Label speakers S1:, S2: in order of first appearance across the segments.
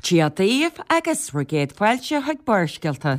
S1: Dia daoibh agus bhur gcéad fáilte chuig Barrscéalta.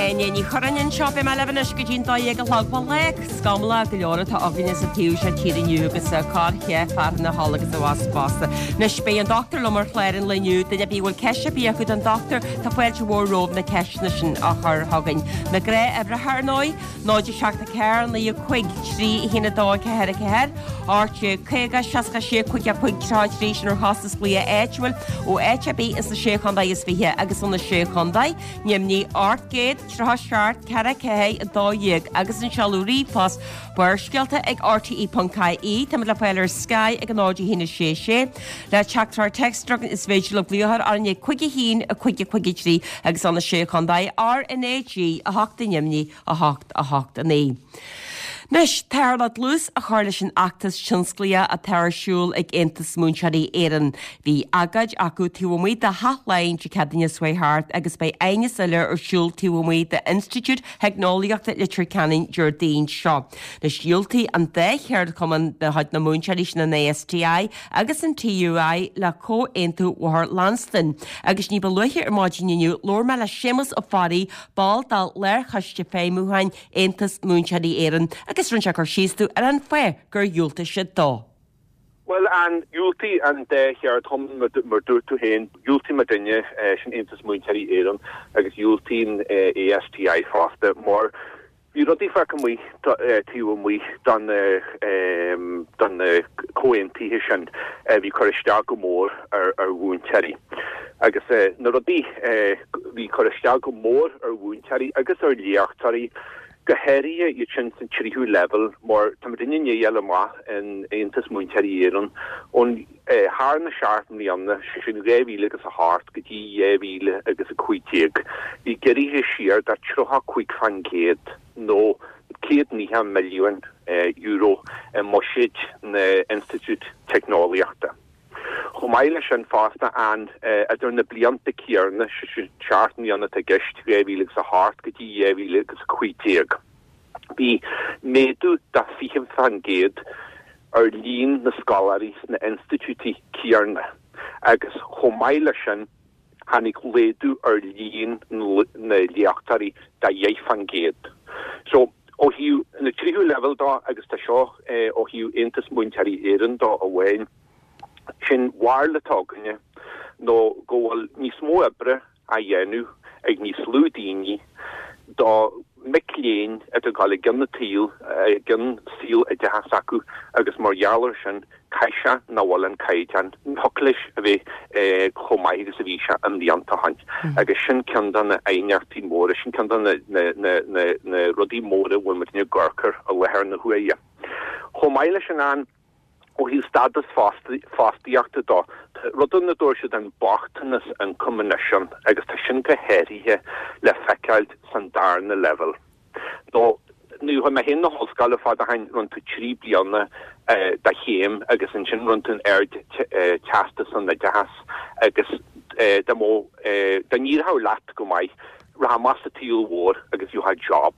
S1: Áine Ní Churráin anseo, beidh mé libh anois go dtí'n 12 a chlog. Bhuel, lá scamallach go leor atá againne sa taobh seo tíre inniu agus corrcheá fearthainne thall agus abhus fosta. Anois, beidh an dochtúir liom ar chlár an lae inniu. Duine ar bith a bhfuil ceist ar bith acu don dochtúir, tá fáilte mhór romhaibh na ceisteanna sin a chur chugainn. Na gnáthuimhreacha, ar ndóigh, 0 7 4 9 5 3 1 2 4 4, 18 50 66 5 5 33, sin ar chostas glaoch áitiúil ó áit ar bith ins na Sé Chontae is Fiche agus ó na Sé Chontae, Nimhní 800 37 4 4 12 agus an seoladh ríomhphost Barrscéalta ag rte.ie. Táimid le fáil ar Sky ag 0 1 6 6. Le teachtaireacht téacs a is féidir libh glaoch orainn ag 5 1 5 5 3 agus ó na Sé Chontae RnaG 8 i nDoimní 8 8 9. Anois, táthar le dlús a chur leis an fheachtas tionsclaíoch atá ar siúl ag Aontas Múinteoirí Éireann. Bhí agóid acu taobh amuigh de Theach Laighean Dé Céadaoine seo chuaigh thart agus beidh aighneas eile ar siúl taobh amuigh d'Institiúid Theicneolaíochta Leitir Ceanainn Déardaoin seo. Anois, dhiúltaigh an dá cheardchumann de chuid na múinteoirí sin an ASTI agus an TUI le Comhaontú Bhóthar Lansdún agus ní ba luaithe ar maidin inniu labhair mé le Séamus Ó Fearraigh, ball de Lárchoiste Feidhmiúcháin Aontas Múinteoirí Éireann agus rinne sé cur síos dom ar an fáth gur dhiúltaigh siad dó.
S2: Bhuel, an dhiúltaigh an dá cheardchumann, mar dúirt tú féin, dhiúltaigh muidinne, sin Aontas Múinteoirí Éireann, agus dhiúltaigh an ASTI fosta, mar bhí rudaí fágtha amuigh taobh amuigh de na comhaontuithe sin a bhí ag cur isteach go mór ar mhúinteoirí. Agus na rudaí a bhí ag cur isteach go mór ar mhúinteoirí agus ar léachtóirí, go háirithe iad sin san tríú leibhéal, mar tá muidinne i ndiaidh a fháil amach in Aontas Múinteoirí Éireann ón thar na seacht mbliana, sé sin 2000 agus 8 go dtí 2000 agus 15, bhí giorraithe siar de 35% nó €190 milliún i mbuiséid na n-institiúid teicneolaíochta. Chomh maith leis sin fosta, an idir na blianta céanna, sé sin seacht mbliana atá i gceist, 2000 agus 8 go dtí 2000 agus 15, bhí méadú de 20% ar líon na scoláirí sna institiúidí céanna agus chomh maith leis sin, tháinig laghdú ar líon na léachtóirí de 10%. So, ó thaobh na tríú leibhéal dó, agus tá seo ó thaobh Aontas Múinteoirí Éireann dó amháin, sé'n bharúil atá againne nó go bhfuil níos mó oibre á dhéanamh ag níos lú daoine do mhic léinn atá ag dul i gcionn an tsaoil, i gcionn saol oideachais acu agus mar gheall air sin caithfidh sé nach bhfuil an caighdeán, ní thiocfadh leis a bheith chomh maith agus a bhí sé i mblianta ó shin. Agus sin ceann de na aighneachtaí móra, sin ceann de na rudaí móra a bhfuil muidinne ag amharc air i láthair na huaire. Chomh maith leis sin an, ó thaobh stádas fostaíochta dó, tá rud ann a dtabhair siad an bochtanas ioncaim anois ann agus tá sin go háirithe le feiceáil san darna leibhéal. Nó nuair a chuaigh mé féin na hollscoile fad ó shin, rinne tú 3 bliana de chéim agus ansin rinne tú an Ard-Teastas san Oideachas agus dá mbeadh, dá n-éireodh leat go maith, rachfá amach sa tsaol mhór agus gheofá job.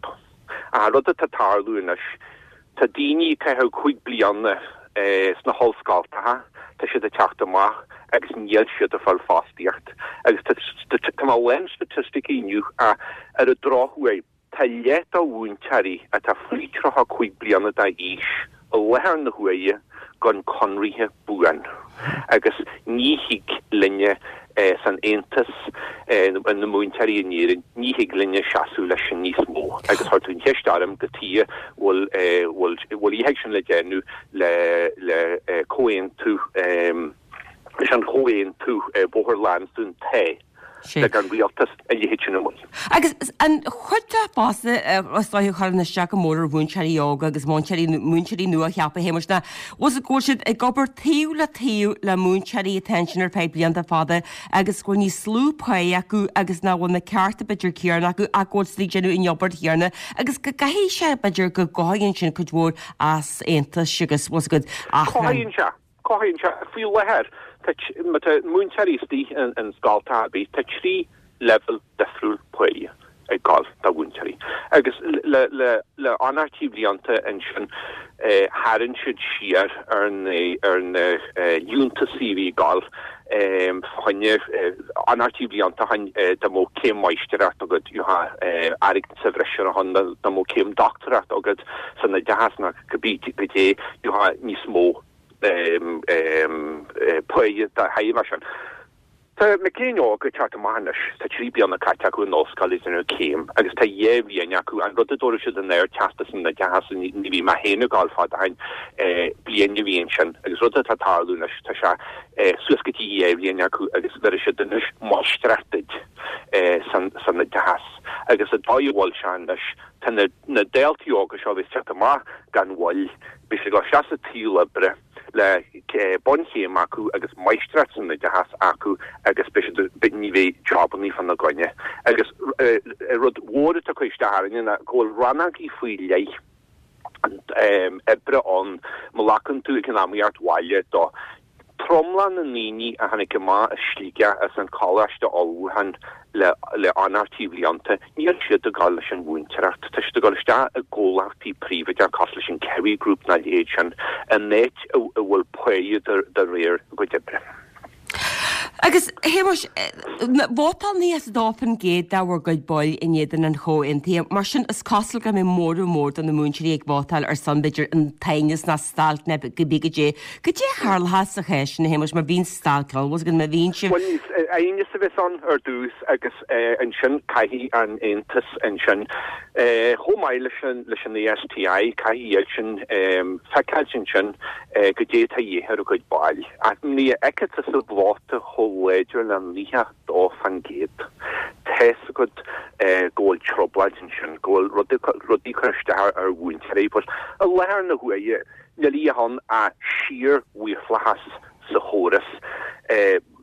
S2: Ach an rud atá ag tarlú anois, tá daoine ag caitheamh 5 bliana sna hollscoltacha, tá siad ag teacht amach agus níl siad ag fáil fostaíocht. Agus tá mé lán staitisticí inniu ach ar an drochuair, tá leath de mhúinteoirí atá faoi 35 bliana d'aois i láthair na huaire gan conraithe buan agus ní thig linne san Aontas, na múinteoirí in Éirinn, ní thig linne seasamh leis sin níos mó agus chuir tú an cheist orm cad chuige a bhfuil bhfuil bhfuil a leithéid sin le déanamh le le comhaontú leis an chomhaontú Bóthar Lansdún tá. Lig an rialtas a leithéid sin amuigh.
S1: Agus an chuid de fosta is dóiche a chuireann isteach go mór ar mhúinteoirí óga agus múinteoirí, múinteoirí nua-cheaptha, a Shéamais, ná bhfuil fhios agat go bhfuil siad ag obair taobh le taobh le múinteoirí atá ansin ar feadh blianta fada agus go bhfuil níos lú páighe acu agus nach bhfuil na cearta b'fhéidir céanna acu ach go bhfuil siad ag déanamh an obair chéanna agus go gcaithfidh sé b'fhéidir go gcothaíonn sin cuid mhór easaontais agus bhfuil fhios agat achrann.
S2: Cothaíonn sé. Cothaíonn sé. Faoi láthair, tá, má tá múinteoirí istigh in scoltacha ar bith, tá 3 leibhéal difriúil páighe ag gabháil do mhúinteoirí. Agus le, le, le anairtí bhlianta ansin, tharraing siad siar ar na, ar na liúntasaí a bhí ag gabháil fá choinne anairtí bhlianta ó shin, dá mbeadh céim máistreacht agat, gheofá airgead sa bhreis ar a shon, dá mbeadh céim dochtúireacht agat san oideachas nó cibé goidé, gheofá níos mó páighe dá thairbhe sin. Tá mic léinn óga ag teacht amach anois, tá 3 bliana caite acu in ollscoil ag déanamh céim agus tá 2 bhliain acu, an rud a dtabharfadh siad an Ardteastas san Oideachas, ní bhí mé féin ag gabháil fada ó shin, bliain a bhí ansin agus rud atá ag tarlú anois, tá sé suas go dtí 2 bhliain acu agus bhéarfaidh siad anois máistreacht duit san oideachas agus an dóigh a bhfuil sé anois, Tá na daltaí óga seo a bheas ag teacht amach gan mhoill, beidh siad ag dul isteach sa tsaol oibre le bunchéim acu agus máistreacht san oideachas acu agus beidh siad, ní bheidh jobannaí fána gcoinne. Agus rud mhór atá ag cur isteach orainne ná go bhfuil rannógaí faoi leith oibre ann, má ghlacann tú ag an iomaíocht bhaile do Tromlach na ndaoine a tháinig amach as Sligeach as an choláiste ullmhúcháin le le anairtí bhlianta, níl siad ag dul leis an mhúinteoireacht. Tá siad ag dul isteach i gcomhlachtaí príobháideacha cosúil leis an Kerry Group nó a leithéid sin, in áit a bhfuil páighe de réir a gcuid oibre.
S1: Agus, a Shéamais, vótáil 92% de bhur gcuid baill in éadan an chomhaontaithe. Mar sin, is cosúil go mbeidh móramh mór de na múinteoirí ag vótáil ar son, b'fhéidir, an t-aighneas ná stailc ná cibé goidé. Goidé a tharlóchas sa chás sin, a Shéamais, má bhíonn stailc ann, bhfuil fhios agat, má bhíonn sibh.
S2: Bhuel, aighneas a bheas ann ar dtús agus ansin caithfidh an Aontas ansin, chomh maith leis an leis an ASTI, caithfidh iad sin feiceáilt ansin goidé atá a dhíth ar a gcuid baill. Ach nuair a fheiceann tusa vóta chomh láidir le 92%, tá's agat go bhfuil trioblóid ansin, go bhfuil rudaí ag cur isteach ar mhúinteoirí. But i láthair na huaire, níl a dhath ann ach síor-mhaorlathas sa chóras.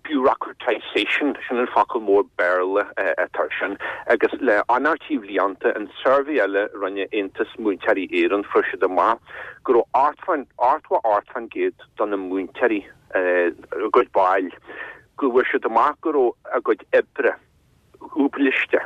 S2: Bureaucratisation, sin an focal mór Béarla atá air sin. Agus le anairtí bhlianta, an suirbhé eile a rinne Aontas Múinteoirí Éireann, fuair siad amach go raibh 88% do na múinteoirí, a gcuid baill, go bhfuair siad amach go raibh a gcuid oibre dhúbailiste,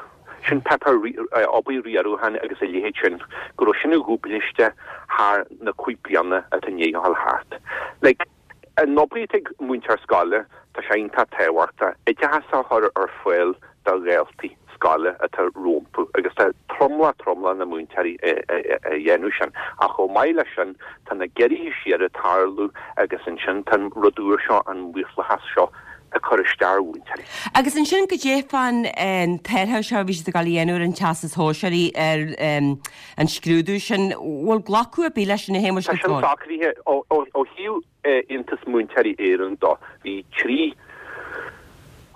S2: sin páipéar obair riaracháin agus a leithéid sin, go raibh sin dhúbailiste thar na cúig bliana atá i ndiaidh a dhul thart. Like, an obair atá ag múinteoir scoile, tá sé iontach tábhachtach, oideachas a chur ar fáil do dhaltaí scoile atá rompu agus tá tromlach tromlach na múinteoirí a dhéanamh sin ach chomh maith leis sin tá na giorruithe siar ag tarlú agus ansin tá an rud úr seo, an maorlathas seo ag cur isteach ar mhúinteoirí.
S1: Agus ansin goidé fán t-athrú seo a bhí siad ag dul a dhéanamh ar an Teastas Sóisearach ar an scrúdú sin, bhfuil glacadh ar bith leis sin a Shéamais
S2: Tá sin socraithe ó thaobh Aontas Múinteoirí Éireann dó. Bhí 3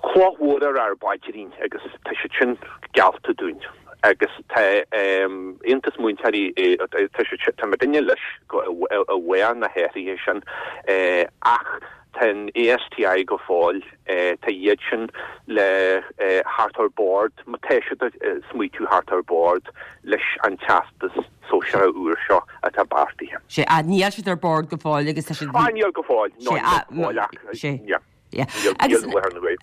S2: chloch mhóra ar ár bpaidrín agus tá siad sin geallta dúinn agus tá Aontas Múinteoirí, tá siad, tá muidinne leis go i bhfáth na hathruithe sin ach tá an ASTI go fóill, tá iad sin le theacht ar bord, má tá siad ag smaoitiú theacht ar bord leis an teastas. sóisearach úr seo atá beartaithe.
S1: Sea, níl siad ar bord go fóill agus tá siad.
S2: Ah, níl go fóill, no, níl go fóill ach, yeah.
S1: Yeah. Agus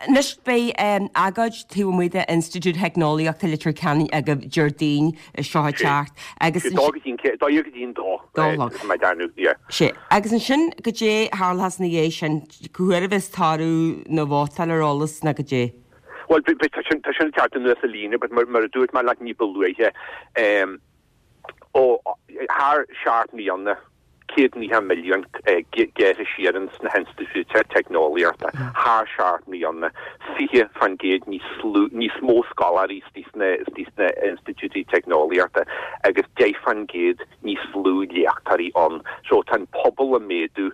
S1: anois beidh agóid taobh amuigh de Institiúid Theicneolaíochta Leitir Ceanainn agaibh Déardaoin seo ag teacht
S2: agus. Dó go dtí an, dó go dtí an dó. Dó a chlog. Má dearnadh, yeah.
S1: Sea. Agus ansin goidé a tharlóchas ina dhiaidh sin, cá huair a bheas toradh na vótála ar eolas ná goidé?
S2: Bhuel, tá sin ag teacht anuas an líne, but mar a dúirt mé leat ní ba luaithe, ó thar sheacht mbliana, 190 milliún gearrtha siar ins na hinstitiúidí teicneolaíochta, thar sheacht mbliana, 20% níos lú, níos mó scoláirí istigh sna institiúidí teicneolaíochta agus 10% níos lú léachtóirí ann. So tá an pobal ag méadú.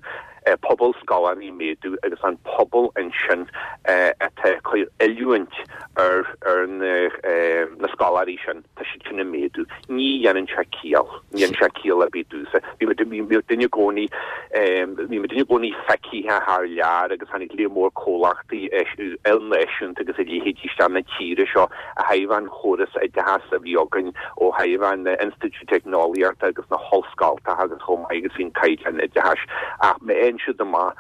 S2: Pobal scoláirí ag méadú agus an pobal ansin atá ag cur oiliúint ar ar na scoláirí sin, tá siad sin ag méadú. Ní dhéanann sé ciall. Ní dhéanann sé ciall ar bith domhsa. Bhí muid bhí muidinne i gcónaí bhí muidinne i gcónaí feicthe thar lear agus tháinig léar mór comhlachtaí ilnáisiúnta agus a leithéidí isteach na tíre seo ó thaobh an chóras oideachais a bhí againn ó thaobh an Institiúid Teicneolaíochta agus na hollscoltacha agus chomh maith agus bhí an caighdeán oideachais ach má fhaigheann siad amach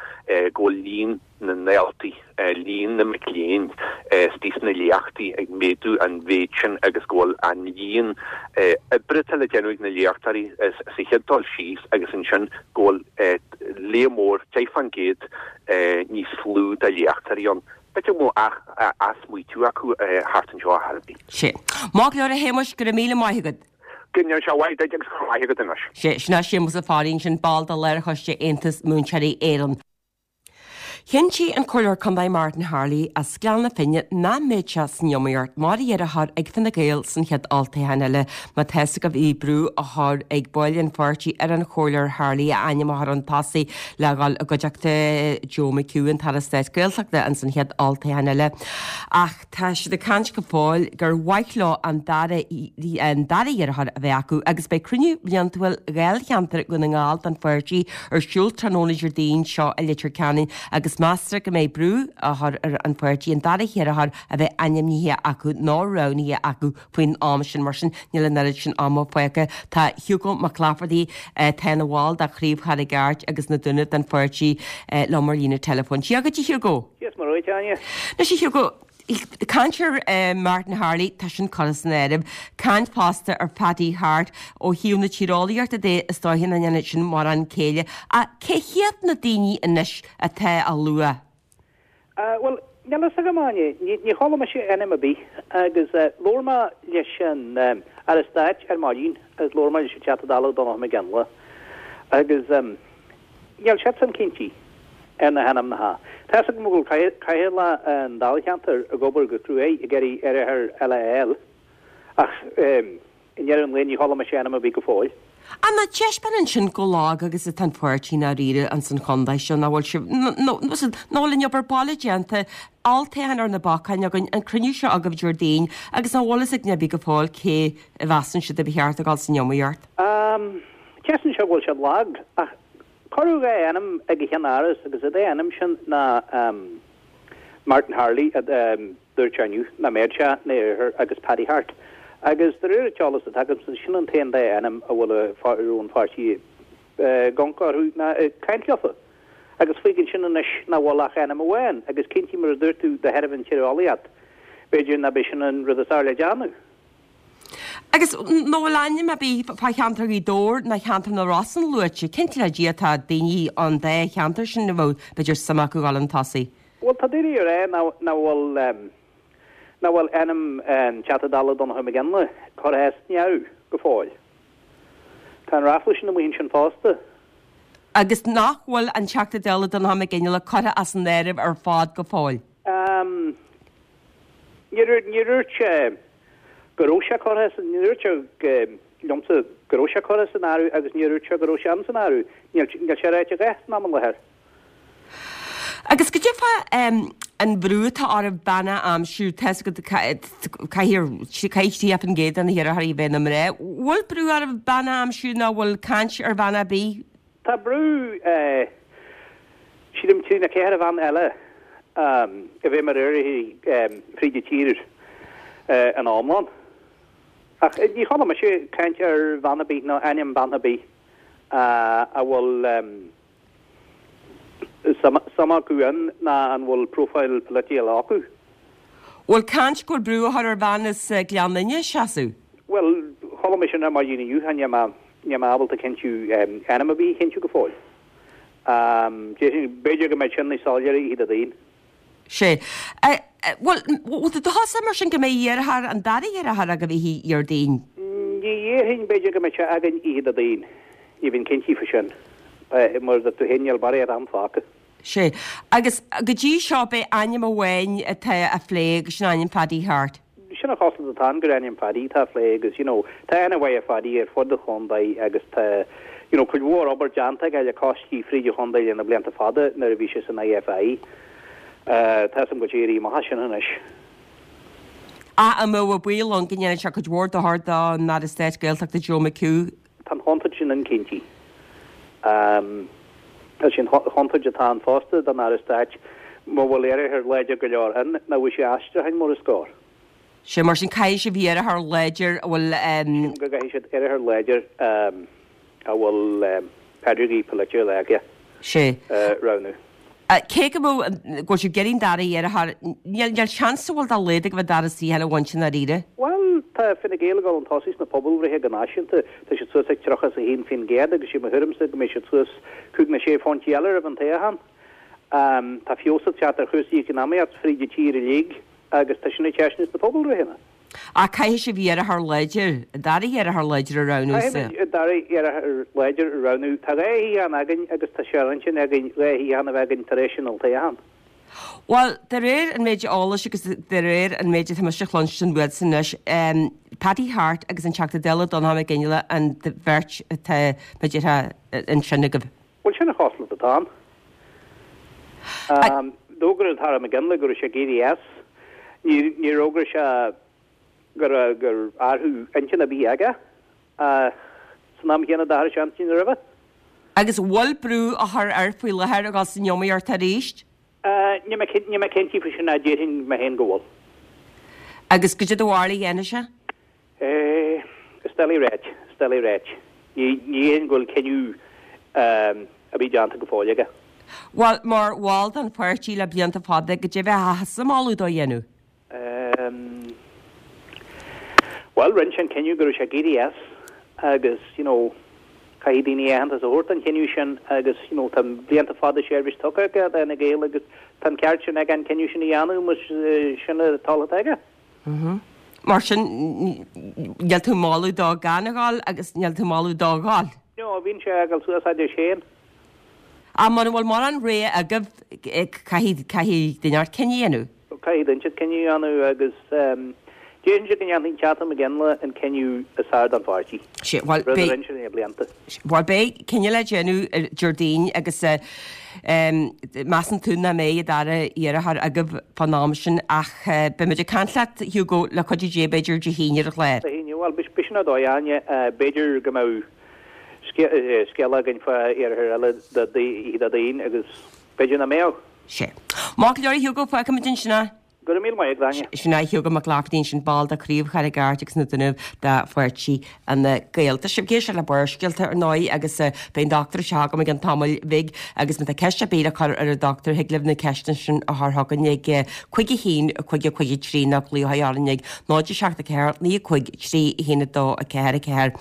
S2: go bhfuil líon na ndaltaí, líon na mic léinn istigh sna léachtaí ag méadú an mhéid sin agus go bhfuil an líon oibre atá le déanamh ag na léachtóirí sa chéad dul síos agus ansin go bhfuil léar mór, 10% níos lú de léachtóirí ann. B'fhéidir go mbeadh athsmaoitiú acu thart anseo ar chor ar bith.
S1: Sea. Maith go leor a Shéamuis, go raibh míle maith agat.
S2: Go ndéana sé mhaith duit agus go raibh maith agat anois.
S1: Sea, sin é Séamus Ó Fearraigh ansin, ball de Lárchoiste Aontas Múinteoirí Éireann. Chinntigh an Comhairleoir Contae Martin Harley as Gleann na Finne nach mbeidh sé san iomaíocht mar iarrthóir ag Fine Gael san chéad olltoghchán eile. Má tá fhios agaibh bhí brú á chur ag baill an pháirtí ar an Chomhairleoir Harley a ainm a chur chun tosaigh le dhul i gcuideachta Joe McHugh, an tAire Stáit Gaeltachta, ins an chéad olltoghchán eile. Ach tá siad ag caint go fóill gur mhaith leo an dara an dara iarrthóir a bheith acu agus beidh cruinniú bliantúil Dháilcheantar Dhún na nGall den pháirtí ar siúl tráthnóna Déardaoin seo i Leitir Ceanainn agus meastar go mbeidh brú á chur ar an pháirtí an dara hiarrthóir a bheith ainmnithe acu nó roghnaithe acu faoin am sin. Mar sin, níl an oiread sin ama fágtha. Tá Hugo Mac Laifeartaigh, atá ina bhall de Chraobh Charraig Airt agus na Dúnaibh den pháirtí, liom ar líne teileafóin. Dia dhuit, a Hugo.
S3: Dia is Muire dhuit, Áine.
S1: Anois, a Hugo, caint ar Martin Harley, tá sin curtha san áireamh. Caint fosta ar Paddy Harte. Ó thaobh na tíreolaíochta de, is dóiche nach ndéanann sin mórán céille. Ach cé hiad na daoine anois atá á lua?
S3: Bhuel, níl a fhios agam, Áine. Ní chuala mise ainm ar bith agus labhair mé leis an Aire Stáit ar maidin agus labhair mé leis an Teachta Dála Donncha McGinley agus níl siadsan cinnte ar na hainmneacha. Tá a fhios agam go bhfuil cathaoirleach an dáilcheantair ag obair go cruaidh ag iarraidh iarrthóir eile a fháil ach I ndeireadh an lae ní chuala mise ainm ar bith go fóill.
S1: An dtaispeánann sin chomh lag agus atá an pháirtí i ndáiríre ins an chontae seo, nach bhfuil sibh, nach bhfuil an obair baile déanta, olltoghchán ar na bacáin againn, an cruinniú seo agaibh Déardaoin, agus nach bhfuil fhios ag duine ar bith go fóill cé a mheasann siad a ba cheart a dhul san iomaíocht.
S3: Taispeánann sé go bhfuil siad lag, ach cuireadh 2 ainm ag an cheann-áras agus an dá ainm sin ná Martin Harley, Dúirt sé inniu nach mbeadh sé ina iarrthóir agus Paddy Harte. Agus de réir an t-eolas atá agamsa, sin an t-aon dá ainm a bhfuil a raibh an pháirtí ag amharc orthu ná ag caint leofa. Agus fágann sin anois nach bhfuil ach ainm amháin agus cinnte mar a dúirt tú de thairbhe an tíreolaíocht, b'fhéidir nach b'é sin an rud is fhearr le déanamh.
S1: Agus nach bhfuil ainm ar bith fá cheantar Ghaoth Dobhair ná cheantar na Rosann luaite, cinnte le Dia tá daoine ón dá cheantar sin a bheadh b'fhéidir suim acu dhul chun tosaigh.
S3: Bhuel, tá daoine ag rá nach bhfuil nach bhfuil ainm an Teachta Dála Donncha McGinley curtha as an áireamh go fóill. Tá an ráfla sin amuigh ansin fosta.
S1: Agus nach bhfuil an Teachta Dála Donncha McGinley curtha as an áireamh ar fad go fóill?
S3: Níor níor dhúirt sé go raibh sé curtha as, níor dhúirt sé liomsa go raibh sé curtha as an áireamh agus níor dhúirt sé go raibh sé ins an áireamh. Níl níl sé ráite a dhath san am i láthair.
S1: Agus goidé fá an bhrú atá oraibh bean a aimsiú, tá fhios agat caithfidh 30% de na hiarrthóirí a bheith ina mná. Bhfuil brú oraibh bean a aimsiú nó bhfuil caint ar bhean ar bith?
S3: Tá brú, sílim, trí nó ceithre bhean eile a bheith mar iarrthóirí fríd an tír ina iomlán. Ach ní chuala mise caint ar bhean ar bith nó ainm bean ar bith a bhfuil suim acu ann ná an bhfuil profile polaitiúil acu.
S1: Bhfuil caint go bhfuil brú á chur ar bhean as Gleann Fhinne seasamh?
S3: Bhuel, chuala mé sin ar maidin inniu, níl mé, níl mé ábalta cinntiú, ainm ar bith a chinntiú go fóill. Déarfainn, b'fhéidir go mbeidh sin níos soiléire oíche Dé Daoin.
S1: Sea. Bhuel, bhfuil tú dóchasach mar sin go mbeidh iarrthóir, an dara hiarrthóir agaibh oíche Dhéardaoin?
S3: Ní dhéarfainn, b'fhéidir go mbeidh sé againn oíche Dé Daoin. Ní bheinn cinnte faoi sin. Mar a dúirt tú féin, níl barraíocht am fágtha.
S1: Sea. Agus go dtí seo, b'é ainm amháin atá á phlé agus sin ainm Phaddy Harte.
S3: Sin an chosúlacht atá ann gur ainm Phaddy atá á phlé agus, you know, tá aithne mhaith ar Phaddy ar fud an chontae agus tá, You know, cuid mhór obair déanta aige le coistí fríd an chontae le na blianta fada nuair a bhí sé san IFI. Tá 'fhios a'm go bhfuil sé éirithe amach as sin anois.
S1: Ach an mbeadh baol ann go ndéanfadh sé cuid mhór dochair don Aire Stáit Gaeltachta Joe McHugh?
S3: Tá an chontúirt sin ann cinnte. Tá sé an chontúirt atá ann fosta don Aire Stáit mura bhfuil iarrthóir láidir go leor ann nach bhfuil sé aistriúcháin mar is cóir.
S1: Sé mar sin caithfidh sibh iarrthóir láidir a bhfuil.
S3: Sílim go gcaithfidh siad iarrthóir láidir a bhfuil pedigree polaitiúil aige
S1: Sé.
S3: a roghnú.
S1: Cé go mbeadh, go bhfuil sibh ag iarraidh an dara iarrthóir, níl, níl seans an bhfuil dá laghad agaibh an dara suíochán a bhaint i ndáiríre.
S3: Bhuel, tá Fine Gael ag dul chun tosaigh sna pobalbhreithe go náisiúnta. Tá siad suas ag 31% agus sé mo thuairimse go mbeidh siad suas cúig nó sé phointí eile roimh an toghchán. Tá feabhas ag teacht ar chúrsaí eacnamaíocht fríd an tír uilig agus tá sin ag teastáil sna pobalbhreitheanna.
S1: Ach caithfidh sibh iarrthóir láidir, an dara hiarrthóir láidir a roghnú
S3: sa. Caithfimid an dara hiarrthóir láidir a roghnú. Tá 2 shuíochán againn agus tá sé ar intinn againn 2 shuíochán a bheith againn tar éis an olltoghcháin.
S1: Bhuel, de réir an méid eolais agus de réir an méid atá mise a chluinstin uatsa anois, Paddy Harte agus an Teachta Dála Donnchadh Mac Fhionnghaile an bheirt atá, mar a déarfá, ansin agaibh.
S3: Bhuel, sin an chosúlacht atá ann. D'fhógair an tAire McGinley go raibh sé ag éirí as. Níor fhógair sé go raibh gur athrú intinn ar bith aige. San am chéanna d'athraigh sé intinn roimhe.
S1: Agus an bhfuil brú á chur air faoi láthair a dhul san iomaíocht arís?
S3: Níl mé níl mé cinnte faoi sin ach déarfainn mé féin go bhfuil.
S1: Agus goidé do bharúil a dhéanfaidh sé?
S3: Is doiligh a ráit, is doiligh a ráit. Ní déarfainn go bhfuil cinneadh ar bith déanta go fóill aige.
S1: Bhuel, mar bhall den pháirtí le blianta fada, goidé a bheifeása ag moladh dó a dhéanamh?
S3: Bhuel, rinne sé an cinneadh go raibh sé ag éirí as agus, you know, caithfidh daoine aitheantas a thabhairt don chinneadh sin agus, you know, tá blianta fada seirbhís tugtha aige d'Fhine Gael agus tá an ceart sin aige an cinneadh sin a dhéanamh más sin an toil atá aige.
S1: Mar sin, níl tú ag moladh dó gan a ghabháil agus níl tú ag moladh dó a ghabháil.
S3: No, bíonn sé ag dul suas a deir Shane.
S1: Ach mura bhfuil mórán rogha agaibh, caithfidh, caithfidh duine inteacht cinneadh a dhéanamh.
S3: Caithfidh duine inteacht cinneadh a dhéanamh agus déarfainnse go ndéanfaidh an Teachta McGinley an cinneadh is fearr don pháirtí.
S1: Sea, bhuel,
S3: Rud a rinne sé le blianta.
S1: Bhuel, beidh cinneadh le déanamh Déardaoin agus measann tú nach mbeidh an dara iarrthóir agaibh fán am sin ach beidh muid ag caint leat, Hugo, le cuidiú Dé, b'fhéidir Dé hAoine ar an chlár.
S3: Dé hAoine, bhuel, b'shin an dóigh, Áine, b'fhéidir go mbeadh scéala againn fá iarrthóir eile Déardaoin agus b'fhéidir nach mbeadh.
S1: Sea. Maith go leor, a Hugo, fágfaimid ansin é.
S3: Go raibh míle maith agat, Áine.
S1: Sin é Hugo Mac Laifeartaigh ansin, ball de Chraobh Charraig Airt agus na Dúnaibh de Pháirtí Fhine Gael. Tá sibh ag éisteacht le Barrscéalta ar ndóigh agus beidh an dochtúir anseo agam i gceann tamaill bhig agus má tá ceist ar bith le cur ar an dochtúir thig libh na ceisteanna sin a chur chugainn ag 5 1 5 5 3 nó glaoch orainn ag 0 7 4 9 5 3 1 2 4 4.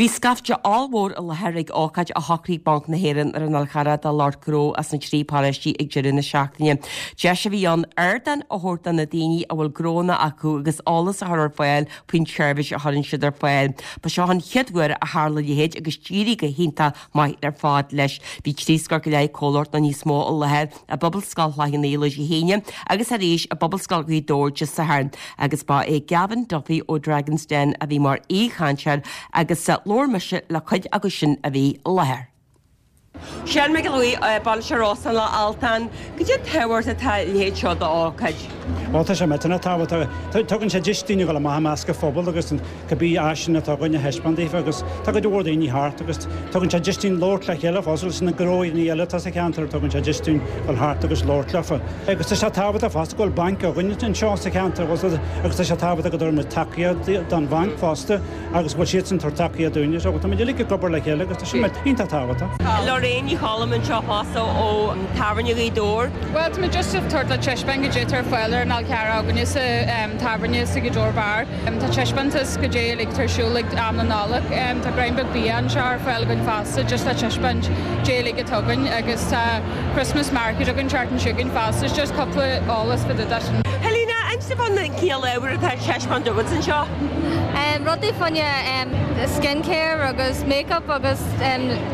S1: Bhí scaifte ollmhór i láthair ag ócáid a shocraigh Banc na hÉireann ar an Fhál Charrach do lucht gnó as na trí paróistí ag deireadh na seachtaine. Deis a bhí ann ardán a thabhairt do na daoine a bhfuil gnónna acu agus eolas a chur ar fáil faoin tseirbhís a chuireann siad ar fáil. Ba seo an chéad uair a tharla a leithéid agus d'éirigh go hiontach maith ar fad leis. Bhí trí scór go leith comhlacht nó níos mó i láthair i bPobalscoil Chloich Cheann Fhaola Dé hAoine agus arís i bPobalscoil Ghaoth Dobhair Dé Sathairn agus ba é Gavin Duffy ó Dragon's Den a bhí mar aoichainteoir agus labhair mise le cuid acu sin a bhí i láthair. Seán Mac Giolla Bhuí, Bainisteoir Óstán Loch Altan, Goidé an tábhacht atá a leithéid seo d'ócáid?
S4: Bhuel, tá sé millteanach tábhachtach. Tugann sé deis daoine a dhul amach i measc an phobail agus cibé áiseanna atá againn a thaispeáint daofa agus tá cuid mhór daoine thart agus tugann sé deis dúinn labhairt le chéile fosta leis na gnóanna eile atá sa cheantar, tugann sé deis dúinn dul thart agus labhairt leofa. Agus tá sé tábhachtach fosta go bhfuil banc againn anseo sa cheantar agus tá sé tábhachtach go dtabharfaidh muid tacaíocht don bhanc fosta. agus go bhfuil siadsan ag tabhairt tacaíocht dúinne. So tá muid uilig ag obair le chéile agus tá sin iontach tábhachtach.
S1: Lorraine Ní Cholm anseo fosta ó Tábhairne Ghaoth Dobhair.
S5: Bhuel, tá muid just ag tabhairt le taispeáint goidé atá ar fáil ar an Fhál Charrach againne sa tábhairne sa Ghaoth Dobhair Bar. Tá taispeántas goidé uilig atá ar siúl ag am na Nollag. Tá greim beag bia anseo ar fáil againn fosta just le taispeáint goidé uilig atá againn agus tá Christmas market againn seachtain seo chugainn fosta. Just cúpla eolas fá dtaobh de sin.
S1: Helena. Inis dom fán cineál ábhair atá ar taispeáint agat anseo.
S5: Rudaí fá choinne skin care agus make up agus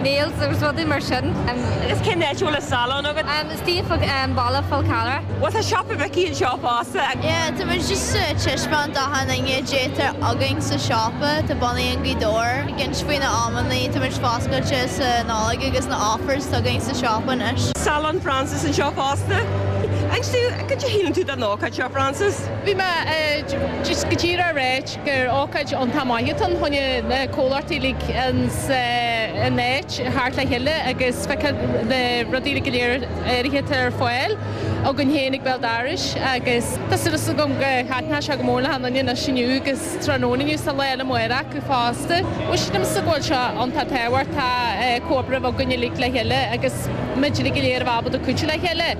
S5: nails agus rudaí mar sin.
S1: Agus cén áit a bhfuil an salon agat?
S5: Istigh i mbaile Fhál Carrach.
S1: Bhuel tá siopa Mhicí anseo fosta.
S6: Yeah, tá muid just ag taispeáint d'achan duine caidé atá againn sa siopa, tá bunaithe in Gaoth Dobhair, ag insint faoi na amannaí, tá muid foscailte sa Nollaig agus na offers atá againn sa siopa anois.
S1: Salon Frances anseo fosta. Inis dom, cad é a shíleann tú den ócáid seo, Frances?
S5: Bhí mé just go díreach ag ráit gur ócáid iontach maith atá ann chun na comhlachtaí uilig an áit a theacht le chéile agus feiceáil na rudaí uilig go léir áirithe atá ar fáil againn féin ag béal dorais agus tá súil agam go thaitneoidh sé go mór le achan duine anois inniu agus tráthnóna inniu is an lá eile amárach acu fosta. Bhuel sílimse go bhfuil sé iontach tábhachtach comhoibriú againn uilig le chéile agus muid uilig go léir a bheith ábalta cuidiú le chéile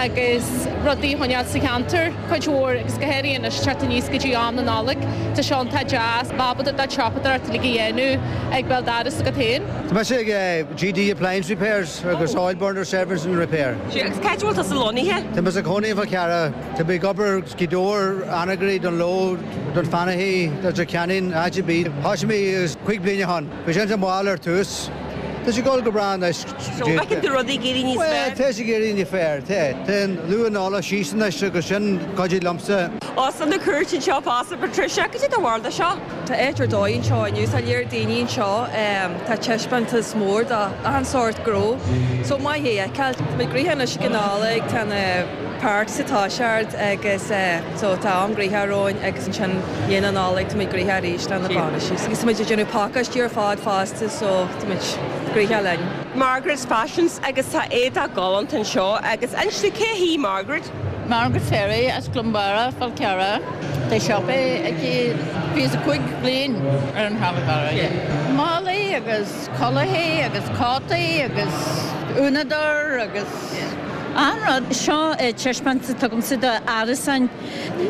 S5: agus rudaí a choinneáil sa cheantar cuid mhór agus go háirithe anois teacht aníos go dtí am na Nollag tá sé iontach deas bheith ábalta do shiopadóireacht uilig a dhéanamh ag béal dorais agat féin.
S7: Tá mise ag GD Appliance Repairs agus Oil Burner Service and Repair.
S1: Sea, agus cá háit a bhfuil tusa lonnaithe?
S7: Tá mise i gcónaí i bhFál Carrach. Tá mé ag obair Gaoth Dobhair, Anagaire, Dún Ló, Dún Fanaí, Leitir Ceanainn, áit ar bith. Thosaigh mé 5 bliana ó shin. Bhí sé an-mhall ar tús. Tá sé ag dul go breá anois.
S1: So, bhfeiceann tú rudaí ag éirí níos
S7: fearr? Bhuel, tá sé ag éirí níos fearr, tá. Tá an luath Nollag síos anois agus sin cuidigh liomsa.
S1: Óstán na Cúirte anseo fosta, Patricia, cad é do bharúil de seo?
S8: Tá áit ar dóigh anseo inniu, tá léar daoine anseo, tá taispeántas mór d'achan sórt gnó, so maith é a fheiceáil. Tá muid gnoitheach anois ag an Nollaig, tá na parks ag toiseacht agus so tá am gnoitheach romhainn agus ansin i ndiaidh na Nollag tá muid gnoitheach arís le na bainisí. Agus tá muid ag déanamh pacáistí ar fad fosta so tá muid gnoitheach linn.
S1: Margaret's Fashions agus tá éadach galánta anseo agus inis dom cé hí Margaret?
S9: Margaret Ferry as Cluain Bharra, Fál Carrach. Tá siopa aici 25 bliain ar an Fhál Carrach. Málaí agus culaithí agus cótaí agus uaineadóir agus achan rud.
S10: Seo taispeántas atá agamsa do árasáin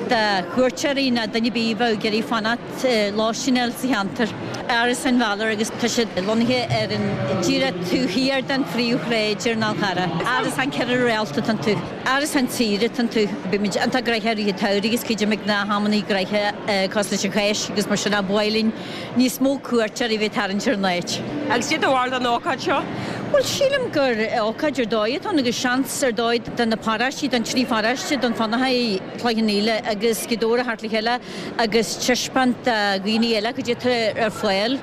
S10: do chuairteoirí nó duine ar bith a bheadh ag iarraidh fanacht lóistín a fháil sa cheantar. Árasáin Bhalor agus tá siad lonnaithe ar an díreach taobh thiar den phríomhshráid ar an Fhál Charrach. Árasán 4 réalta atá iontu. Árasán saoire atá iontu. Bímid iontach gnoitheach i rith an tsamhraidh agus cuidím ag gnáthamannaí gnoitheach cosúil leis an Cháisc agus mar sin ba mhaith linn níos mó cuairteoirí a bheith ag tarraingt ar an áit.
S1: Agus cad é do bharúil den ócáid seo?
S10: Bhuel, sílim gur ócáid ar dóigh atá ann agus seans ar dóigh do na paróistí, don trí pharóiste, Dún Fionnachaidh, Cloich Cheann Fhaola agus Gaoth Dobhair a theacht le chéile agus taispeáint do dhaoine eile cad é atá ar fáil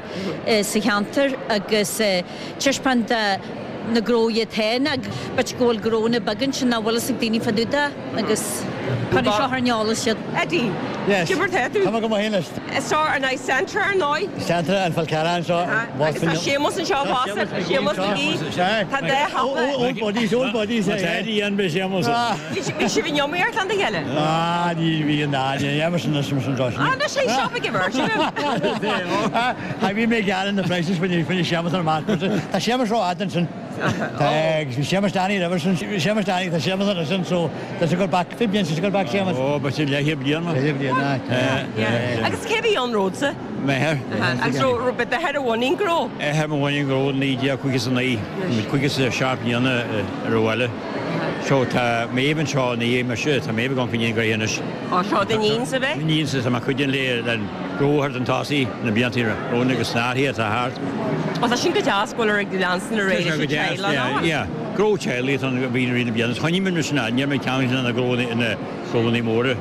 S10: sa cheantar agus taispeáint do na gnóthaí atá ann ach b'fhéidir go bhfuil gnónna beaga ansin nach bhfuil fhios ag daoine fá dtaobh de agus cuirfidh seo ar an eolas iad.
S1: Eddie,
S7: Yes.
S1: Cad é mar tá tú?
S7: Tá mé go maith anois.
S1: Is seo ar ndóigh Centra ar ndóigh.
S7: Centra an Fál Carrach anseo.
S1: Agus tá Séamus anseo fosta. Séamus McGee. Tá dá shiopa.
S7: Old buddies, old buddies.
S11: Tá Eddie an be Séamus.
S1: Bhí sibh in iomaíocht lena chéile?
S11: Ah, ní bhíonn, ná, ní Emerson anois, Emerson Josh.
S1: Ah, anois é siopa ag Emerson.
S11: Ah, bhí mé ag gearán na prices when you finish Séamus ar amach. Tá Séamus ró-fhada ansin. Tá, agus bhí Séamus Danny roimhe sin, Séamus Danny, tá Séamus ansin, so tá sé ag dul back, 20 bliain, tá sé ag dul back Séamus. Ó, ba sin leathchéad bliain, man. Leathchéad bliain,
S1: ah. Agus cé bhí ann romhatsa?
S11: M'athair.
S1: Agus raibh d'athair a bhunaigh an gnó?
S11: Athair a bhunaigh an gnó 1959, 57 bliana ar an bhaile. So tá Méabh anseo ina dhiaidh mise, tá Méabh ag amharc i ndiaidh an ghnó anois.
S1: Ó, seo d'iníon sa bheith?
S11: Iníon sa, tá mé ag cuidiú léi le gnó a chur chun tosaigh na blianta romhainn agus na hathruithe atá thart.
S1: Ó, tá sin go deas go bhfuil ag leanstan ar aghaidh leis an teaghlach, nach bhfuil?
S11: Yeah, gnó teaghlaigh atá ann a bhí i rith na bliana. Choinnigh muid sin ann, níl mé ag ceangal na gnónna móra.